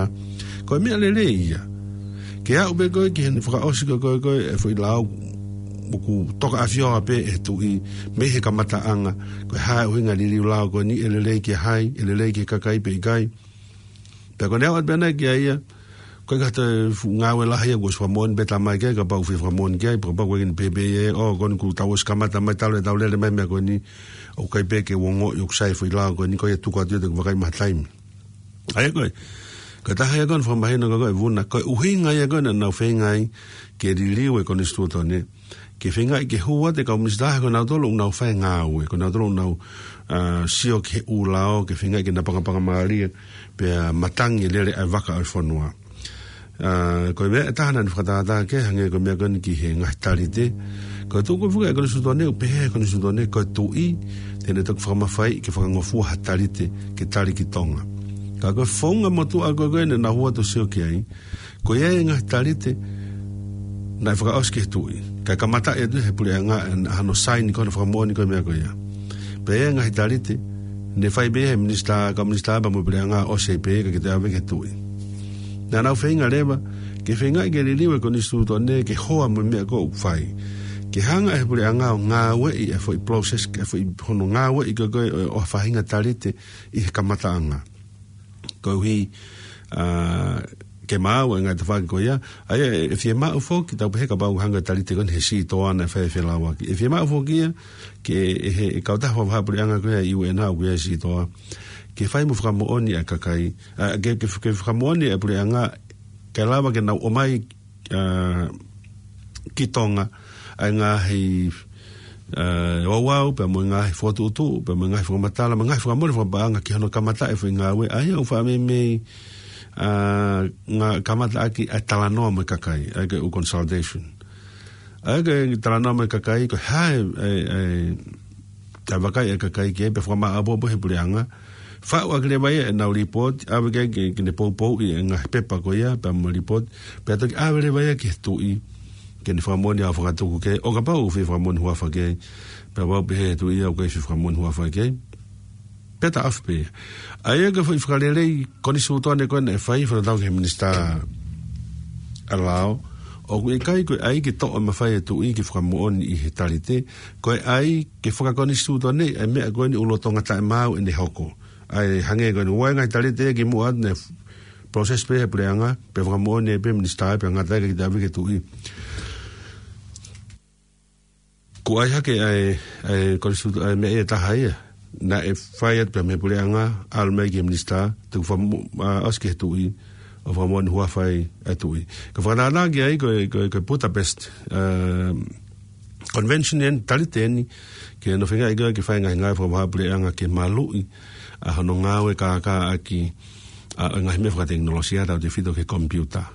ko e meʻa lelei ia. Ke aʻu pē koe ki heʻene fakaʻosi ko ē ko ē ko ē e foʻi lao ʻoku toka ʻafioʻanga pē ʻe he tuʻi mei he kamataʻanga, ko e hā e ʻuhinga e liliu lao ko eni, ʻe lelei ki hai, ʻe lelei ki he kakai pe ʻikai. Pea ko ʻene aʻu atu pē ʻana ki ai ia, ko e kata fuʻu ngāue lahi ia kuo ʻosi fakamoʻoni pē tamai ke, kapau ʻoku fie fakamoʻoni ki ai, kapau ko ʻene pehē pē ia, ʻo, ko eni kuo tau ʻosi kamata mai talu ʻetau lele mai meʻa ko eni, ʻoku ʻikai pē ke u ongoʻi ʻoku sai e foʻi lao ko eni, ko ia tuku atu ia te u vakai maha taimi. ʻA ia ko e, ko e taha ia ko ē naʻe fakamahino ko ē ʻe Vuna, ko e ʻuhinga ia ko ē naʻa nau feinga ai ke liliu e konisitūtone, ke feingaʻi ke hū atu e kau minisitā he ko nautolu ʻoku nau fai e ngāue, ko nautolu ʻoku nau, ʻa, sio ki he ʻū lao, ke feingaʻi ke napangapangamālie, pea matangi e lele ʻa e vaka ʻo e fonua. ʻA, ko e meʻa ʻe taha naʻa ne fakatātā ki ai, hangē ko e meʻa ko eni ki he ngaahi talite. Ko e tuʻu ko ē foki ʻa e konisitūtone, ʻoku pehē ʻe he konisitūtone, ko e tuʻi, te ne toki fakamafaiʻi ke fakangofua ha talite, ke tali ki Tonga. Ka ko e founga motuʻa ko ē ko ē naʻa nau hū atu ʻo sio ki ai, ko ia e ngaahi talite naʻe fakaʻosi ki he tuʻi. Kae kamataʻi atu ʻe he puleʻanga ʻa hono saini ko ē hono fakamoʻoni ko ē e meʻa ko ia. Pea ʻi ai e ngaahi talite, ne fai pē ʻe he minisitā, kau minisitā pea mo e puleʻanga ʻosi pē ʻikai ke toe ʻave ki he tuʻi. Naʻa nau feinga leva, ke feingaʻi ke liliu e konisitūtone, ke hoa mo e meʻa ko ē ʻoku fai. Ke hanga ʻe he puleʻanga ʻo ngāueʻi e foʻi process, e foʻi hono ngāueʻi ko ē ko ē ʻo, ʻo ha faʻahinga talite ʻi he kamataʻanga. Koeʻuhi, ʻa, ke maau e ngaahi tafaʻaki ko ia, ʻa ia ʻe, ʻe fiemaʻu foki, tau pehē kapau ʻoku hanga e talite ko eni he sitoa naʻe fai e felauaki. ʻE fiemaʻu foki ia, ke ʻe he, ʻe he kautaha fakavahaʻapuleʻanga ko ia ʻa e U N ʻoku ʻi ai e sitoa, ke fai mo fakamoʻoni ʻa e kakai, ʻa, ke, ke, ke fakamoʻoni e puleʻanga, ke lava ke nau ʻomai, ʻa, ki Tonga, ʻa e ngaahi, ē, ouau, pea mo e ngaahi fokotuʻutuʻu, pea mo e ngaahi fakamatala, mo e ngaahi fakamole fakapaʻanga ki hono kamataʻi e foʻi ngāue, ʻa ia ʻoku faʻa meimei, ē, ngaahi kamataʻaki ʻa e talanoa mo e kakai, ʻa ia ko e consultation. ʻA ia ko e talanoa mo e kakai, ko e hā e, e, e, ʻa e vakai ʻa e kakai ki ai, pea fakamāʻopoʻopo he puleʻanga, faʻu ʻaki leva ia ʻenau lipooti, ʻave ki ai ke, ke ne poupouʻi e ngaahi pepa ko ia, pea mo e lipooti, pea toki ʻave leva ia ki he tuʻi, ke ne fakamoʻoni ʻa e fakatuku ki ai, ʻo kapau ʻoku fie fakamoʻoni huafa ki ai, pea kapau pehē ʻe he tuʻi ia ʻoku ʻikai fie fakamoʻoni huafa ki ai. Pea taʻofi pē ia. ʻA ia ko e foʻi fakalelei konisitūtone ko ē naʻe fai, fakatatau ki he Minisitā ʻa e Lao, ʻoku ʻikai ko e ʻai ke toʻo e mafai ʻa e tuʻi ke fakamoʻoni ʻi he talite, ko e ʻai ke fakakonisitūtoneʻi ʻa e meʻa ko eni ʻoku lolotonga taʻemaau ʻene hoko. ʻA ia hangē ko eni, ʻoku ʻi ai e ngaahi talite ia kimuʻa atu naʻe process pē he puleʻanga, pea fakamoʻoni pē ʻe he Minisitā, pea ngata ai kae kiʻi ʻave ki he tuʻi. Ko e ʻai hake ʻa e, ʻa e konisitū-, ʻa e meʻa ia ʻe taha ia. Naʻe fai atu pē mei he puleʻanga, ʻalu mai ki he Minisitā, tuku fakamoʻoni, ā, ʻosi ki he tuʻi, ʻo fakamoʻoni huafa ai ʻa e tuʻi. Ko e fakatātā ki ai ko e, ko e, ko e Budapest, ē, Convention eni, talite eni, ke nau feinga ai ke fai e ngaahi ngāue fakavahaʻapuleʻanga ke maluʻi ʻa hono ngāue kākāʻaki ʻa e ngaahi meʻa fakatekinolosia tautefito ki he komipiuta.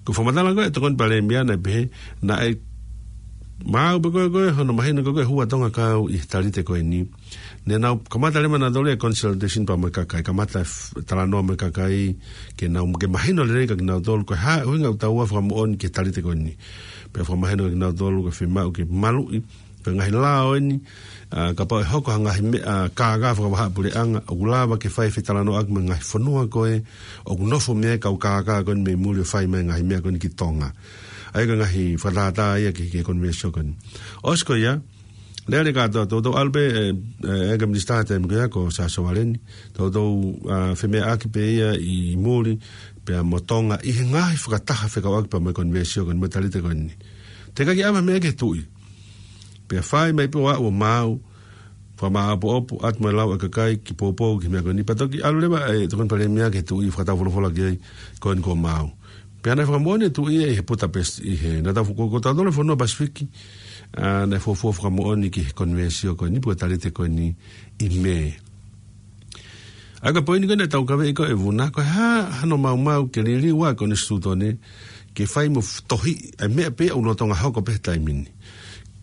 Ko e fakamatala ko ē ʻa e Tokoni Palēmia naʻe pehē, naʻe maau pē ko ē ko ē hono mahino ko ē ko e hū ʻa Tonga kau ʻi he talite ko eni. Ne nau kamata leva nautolu e consultation pea mo e kakai, kamata e f-, talanoa mo e kakai, ke nau, ke mahino lelei kia kinautolu ko e hā e ʻuhinga ʻoku tau fakamoʻoni ki he talite ko eni. Pea fakamahino kia kinautolu ko e fiemaʻu ke maluʻi, ko e ngaahi lao eni, ā, kapau ʻe hoko ha ngaahi meʻa, ā, kākā fakavahaʻapuleʻanga, ʻoku lava ke fai e fetalanoaʻaki mo e ngaahi fonua ko ē ʻoku nofo mei ai e kau kākā ko eni mei muli ʻo fai mai e ngaahi meʻa ko eni ki Tonga. ʻA ia ko e ngaahi fakatātā ia ki he, ki he konivēsio ko eni. ʻOsi ko ia, lele kātoa, toutou ʻalu pē, ē, ē, ʻa e Minisitā he taimi ko ia ko Siaosi Sovaleni, toutou, ā, femeʻaʻaki pē ia ʻi muli, pea mo Tonga, ʻi he ngaahi fakataha fekauʻaki pea mo e konivēsio ko eni mo e talite ko eni. Teʻeki ke ʻave ha meʻa ki he tuʻi. Pea fai mai pē ʻo aʻu ʻo maau, fakamāʻopoʻopo, atu mo e lau ʻa e kakai, ke poupou ki he meʻa ko eni. Pea toki ʻalu leva ʻa e Tokoni Palēmia ki he tuʻi, fakataufolofola ki ai, ko eni kuo maau. Pea naʻe fakamoʻoni e tuʻi ia ʻi he Budapest, ʻi he, naʻa tau fo-, ko, ko tautolu e fonua Pasifiki, ā, naʻe fuofua fakamoʻoni ki he konivēsio ko eni, pe ko e talite ko eni ʻi Mē. ʻA ia ko e poini ko ē naʻa tau kavei ko ē Vuna, ko e hā hano maumau ke liliu ʻa e konisitūtone, ke fai mo f-, tohiʻi ʻa e meʻa pē ʻoku lolotonga hoko pē he taimi ni.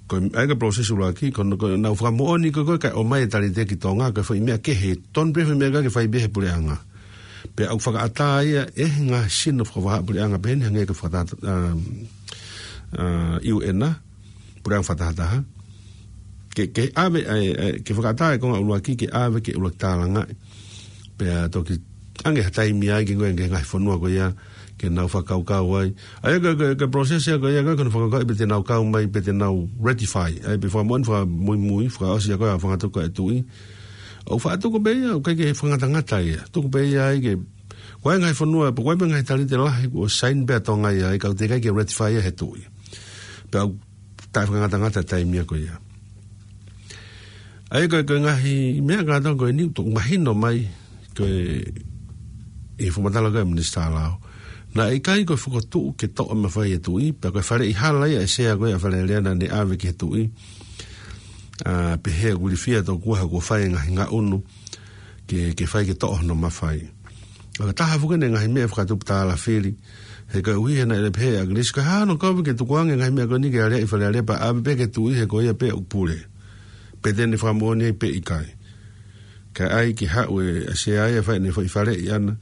Ko e, ʻa ia ko e process ʻuluaki, ko, ko ʻenau fakamoʻoni ko ē ko ē kae ʻomai e talite ki Tonga, ko e foʻi meʻa kehe, tonu pē foʻi meʻa ko ē ke fai pē he puleʻanga. Pea ʻoku fakaʻatā ia ʻe he ngaahi sino fakavahaʻapuleʻanga pehē ni hangē ko e fakata-, ā, ā, U N, puleʻanga fakatahataha. Ke, ke ʻave, ʻa e, ʻa e, ke fakaʻatā e konga ʻuluaki, ke ʻave ke ʻuluaki tālangaʻi. Pea toki ʻange ha taimi ai ke ngāue ki he ngaahi fonua ko ia, ke nau fakakaukau ai. ʻA ia ko e, ko e, ko e process ia ko ia, ko e, ko hono fakakaukau pe te nau kau mai, pe te nau ratify. ʻA ia pea fakamoʻoni fakamuimui, fakaʻosi ia ko e ʻa e fakatuku ʻa e tuʻi. ʻOku faʻa tuku pē ia, ʻoku ʻikai ke fakangatangata ia. Tuku pē ia ai ke, ko e ngaahi fonua, pe ko e ngaahi talite lahi, kuo sign pē ʻa Tonga ia, ʻa ia ka ʻoku teʻeki ai ke ratify ia he tuʻi. Pea ʻoku taʻefakangatangata e taimi ia ko ia. ʻA ia ko e, ko e ngaahi meʻa kātoa ko eni ʻoku mahino mai, ko e, ʻi he fakamatala ko ē ʻa e Minisitā Lao. Naʻe ʻikai ko e fokotuʻu ke toʻo e mafai ʻa e tuʻi, pea ko e faleʻi hala ia ʻa e sea ko ē ʻa Fale Alea naʻa ne ʻave ki he tuʻi. Ā, pehē ʻoku ilifia tokua he kuo fai e ngaahi ngaʻunu ke, ke fai ke toʻo hono mafai. ʻA ia ko e taha foki eni e ngaahi meʻa fakatupu tālafili. He koeʻuhi he naʻe pehē ʻe ʻAkilisi ko e hā hano kovi ke tukuange e ngaahi meʻa ko eni ke aleaʻi Fale Alea pea ʻave pē ki he tuʻi he ko ia pē ʻoku pule. Pe te ne fakamoʻoni ai pe ʻikai. Kae ʻai ke haʻu e, ʻa e sea ia ʻo fai ʻene foʻi faleʻi ʻana.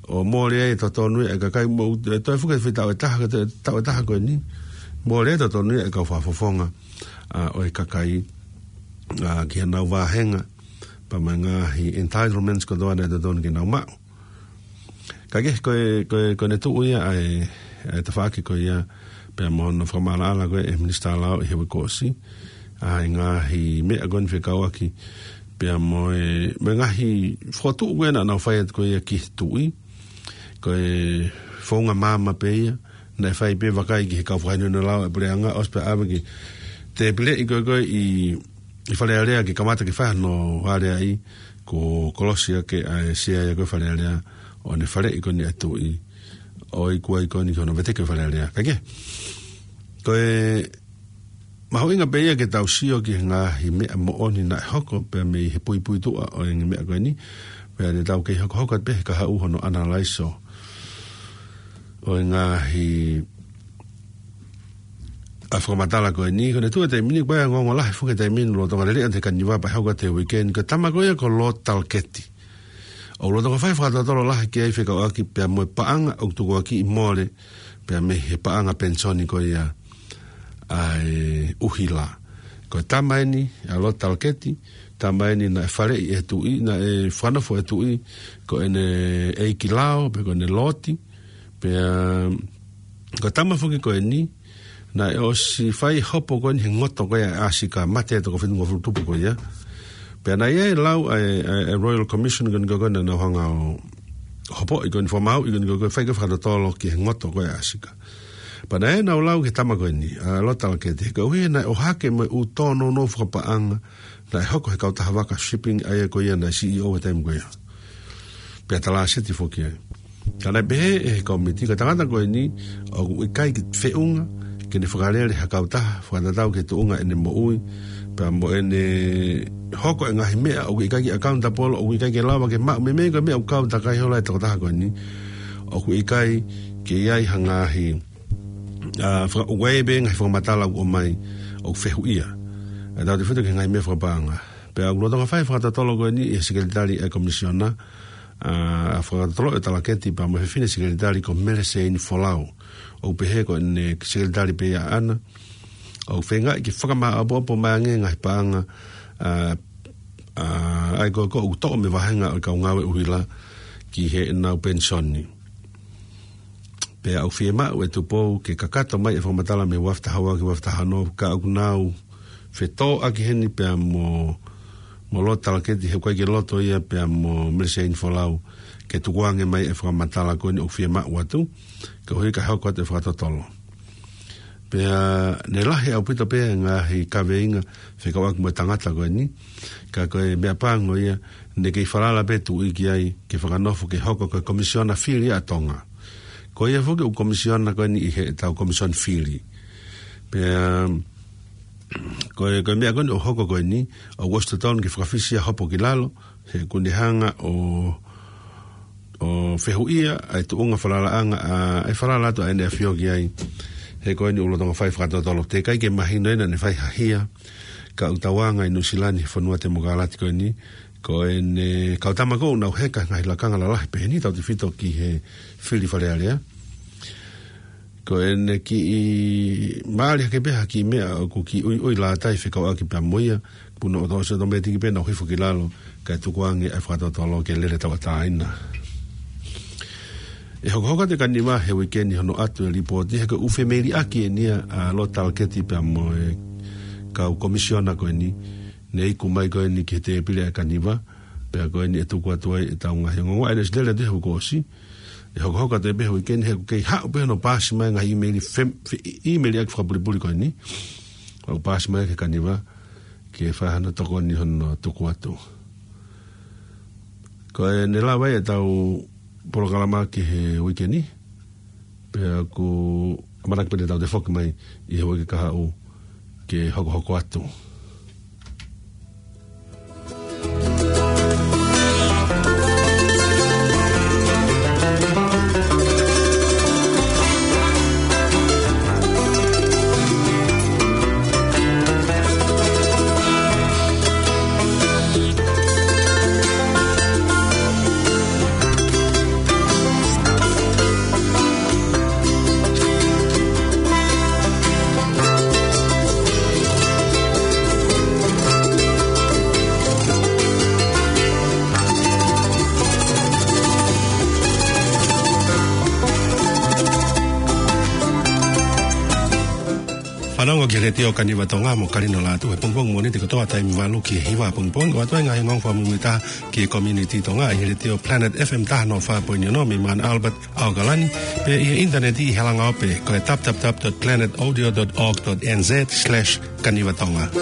ʻO mole ai e totonu ia ʻa e kakai mo, ē, toe foki e foʻi taʻu ʻe taha, ko e toe, taʻu ʻe taha ko eni. Mole ai e totonu ia ʻa e kau fakafofonga, ā, ʻo e kakai, ā, ki heʻenau vāhenga, pea mo e ngaahi entitlements kotoa naʻe totonu ke nau maʻu. Ka ke, ko e, ko e, ko ʻene tuʻu ia ʻa e, ʻa e tafaʻaki ko ia, pea mo hono fakamaʻalaʻala ko ē ʻe he Minisitā Lao ʻi he uike kuo ʻosi, ā, e ngaahi meʻa ko eni fekauʻaki, pea mo e, mo e ngaahi fokotuʻu ko ē naʻa nau fai atu ko ia ki he tuʻi, ko e founga maama pē ia, naʻe fai pē vakai ki he kau fakahinohino lao ʻa e puleʻanga, ʻosi pea ʻave ki he tēpile ko ē ko ē ʻi, ʻi Fale Alea ke kamata ke fai hano aleaʻi, kuo kolosi ʻaki ʻa e sea ia ko ē ʻa Fale Alea, ʻo ne faleʻi ko eni ʻa e tuʻi, ʻo iku ai ko eni ki hono veteki ʻo Fale Alea. Ka ke? Ko e mahuʻinga pē ia ke tau sio ki he ngaahi meʻa moʻoni naʻe hoko pea mei he puipuituʻa ʻo e ngaahi meʻa ko eni. Pea te tau kei hokohoko atu pē he kahaʻu hono ʻanalaiso ʻo e ngaahi ʻa e fakamatala ko eni, ko ʻene tuʻu he taimi ni, ko e ongoongo lahi foki he taimi ni, lolotonga lele ʻa e kaniva pea hoko atu he uike ni, ko e tama ko ia ko Lord Talkeeti. ʻOku lolotonga fai fakatotolo lahi ki ai fekauʻaki pea mo e paʻanga ʻoku tukuakiʻi mole, pea mei he paʻanga penisoni ko ia ʻa e ʻuhila. Ko e tama eni ʻa Lord Talkeeti, tama eni naʻe faleʻi ʻe he tuʻi, naʻe fakanofo ʻe he tuʻi, ko ʻene ʻeiki lao, pe ko ʻene loti, pea ko e tama foki ko eni, naʻe ʻosi fai hopo ko eni he ngoto ko ia ʻa e ʻAsika, mate ʻa e toko fitungofulu tupu ko ia. Pea naʻe ʻi ai e lau ʻa e, ʻa e, ʻa e Royal Commission ko eni ko ē naʻa nau hanga ʻo hopoʻi ko eni, fakamāuʻi ko eni ko ē, fai ko ē fakatotolo ki he ngoto ko ia ʻa e ʻAsika. Pea naʻe ʻi ai ʻenau lau ki he tama ko eni, ʻa Lord Talkeeti, he koeʻuhi naʻe ʻohake mo e ʻū tōnounou fakapaʻanga naʻe hoko he kautaha vaka shipping ʻa ia ko ia naʻe C E O he taimi ko ia. Pea talāseti foki ai. Ka naʻe pehē ʻe he kōmiti, ko e tangata ko eni ʻoku ʻikai ke feʻunga ke ne fakalele ha kautaha fakatatau ki he tuʻunga ʻene moʻui, pea mo ʻene hoko e ngaahi meʻa ʻoku ʻikai ke accountable, ʻoku ʻikai ke lava ke maʻu, meimei ko e meʻa ʻoku kau takai holo ai e tokotaha ko eni. ʻOku ʻikai ke ʻi ai ha ngaahi, ʻa, faka-, ʻoku ʻi ai pē ngaahi fakamatala ʻoku ʻomai ʻoku fehuʻia. ʻA e tautefito ki he ngaahi meʻa fakapaʻanga. Pea ʻoku lolotonga fai fakatotolo ko eni ʻe he sekelitali ʻa e komisiona, ʻa, fakatotolo ʻe Talaketi pea mo e fefine sekelitali ko Mele Seini Folau. ʻOku pehē ko ʻene sekelitali pē ia ʻaʻana. ʻOku feingaʻi ke fakamāʻopoʻopo mai ange ngaahi paʻanga, ʻa, ʻa, ʻa ia ko ē ʻoku toʻo mei he vāhenga ʻo e kau ngāue ʻuhila ki heʻenau penisoni. Pea ʻoku fiemaʻu ʻe Tupou ke kakato mai e fakamatala mei he ua afe taha ua ki he ua afe taha ono, ka ʻoku nau fetōʻaki heni pea mo, mo Lord Talaketi he ʻoku ʻikai ke loto ia pea mo Mele Seini Folau ke tukuange mai e fakamatala ko eni ʻoku fiemaʻu atu, koeʻuhi ka hoko atu e fakatotolo. Pea ne lahi ʻaupito pē ngaahi kaveinga fekauʻaki mo e tangata ko eni, ka ko e meʻa pango ia, ne kei falala pē tuʻi ki ai ke fakanofo ke hoko ko e komisiona fili ʻa Tonga. Ko ia foki ʻoku komisiona ko eni ʻi heʻetau komisiona fili. Pea ko e, ko e meʻa ko eni ʻoku hoko ko eni, ʻoku ʻosi totonu ke fakafisi ʻa e hopo ki lalo, he ʻoku ne hanga ʻo, ʻo fehuʻia ʻa e tuʻunga falalaʻanga, ʻa, ʻa e falala atu ʻa ʻEne ʻAfio ki ai. He ko eni ʻoku lolotonga fai fakatotolo, teʻeki ai ke mahino ʻe ia naʻa ne fai ha hia, ka ʻoku tauanga ʻi Nuʻusila ni he fonua temokalati ko eni, ko ʻene kau tama ko ē ʻoku nau heka he ngaahi lakanga lalahi pehē ni tautefito ki he fili Fale Alea. Ko ʻene kiʻi mālie hake pē ha kiʻi meʻa ʻoku kiʻi ʻuiʻui lātai fekauʻaki pea mo ia, puna ʻo tau se tō meti ki pē nau hifo ki lalo, kae tukuange ʻa e fakatotolo ke lele tauʻatāina. ʻE hokohoko atu e kaniva he uike ni hono ʻatu e lipooti, he ko e ʻū femeiliʻaki eni ia ʻa Lord Talaketi pea mo e kau komisiona ko eni, ne iku mai ko eni ki he tēpile ʻa e kaniva, pea ko eni ʻe tuku atu ai ʻetau ngaahi ongoongo, ʻa ia ne ʻosi lele atu he uike kuo ʻosi, ʻe hokohoko atu pē he uike ni he ʻoku kei haʻu pē hono paasi mai ngaahi ʻīmeili fem-, fe-, ʻīmeiliʻaki fakapulipuli ko eni. ʻOku paasi mai ki he kaniva, ke fai hano tokoni hono tuku atu. Ko ʻene lava ai ʻetau polokalama ki he uike ni, pea ʻoku ʻamanaki pē te tau toe foki mai ʻi he uike kahaʻu ke hokohoko atu. Fanongo ki he Letiō Kaniva Tonga mo Kalino Lātū he pongipongi Mōnite kotoa taimi valu ki he hiva pongipongi, ʻo ʻoatu ai e ngaahi ongoongo fakamuimuitaha ki he community Tonga ʻi he Letiō Planet F M taha noa fā poini ono mei Mount Albert, ʻAokalani, pea ʻi he ʻinitaneti ʻi he langaope ko e w w w dot planet audio dot org dot n z slash kaniva tonga.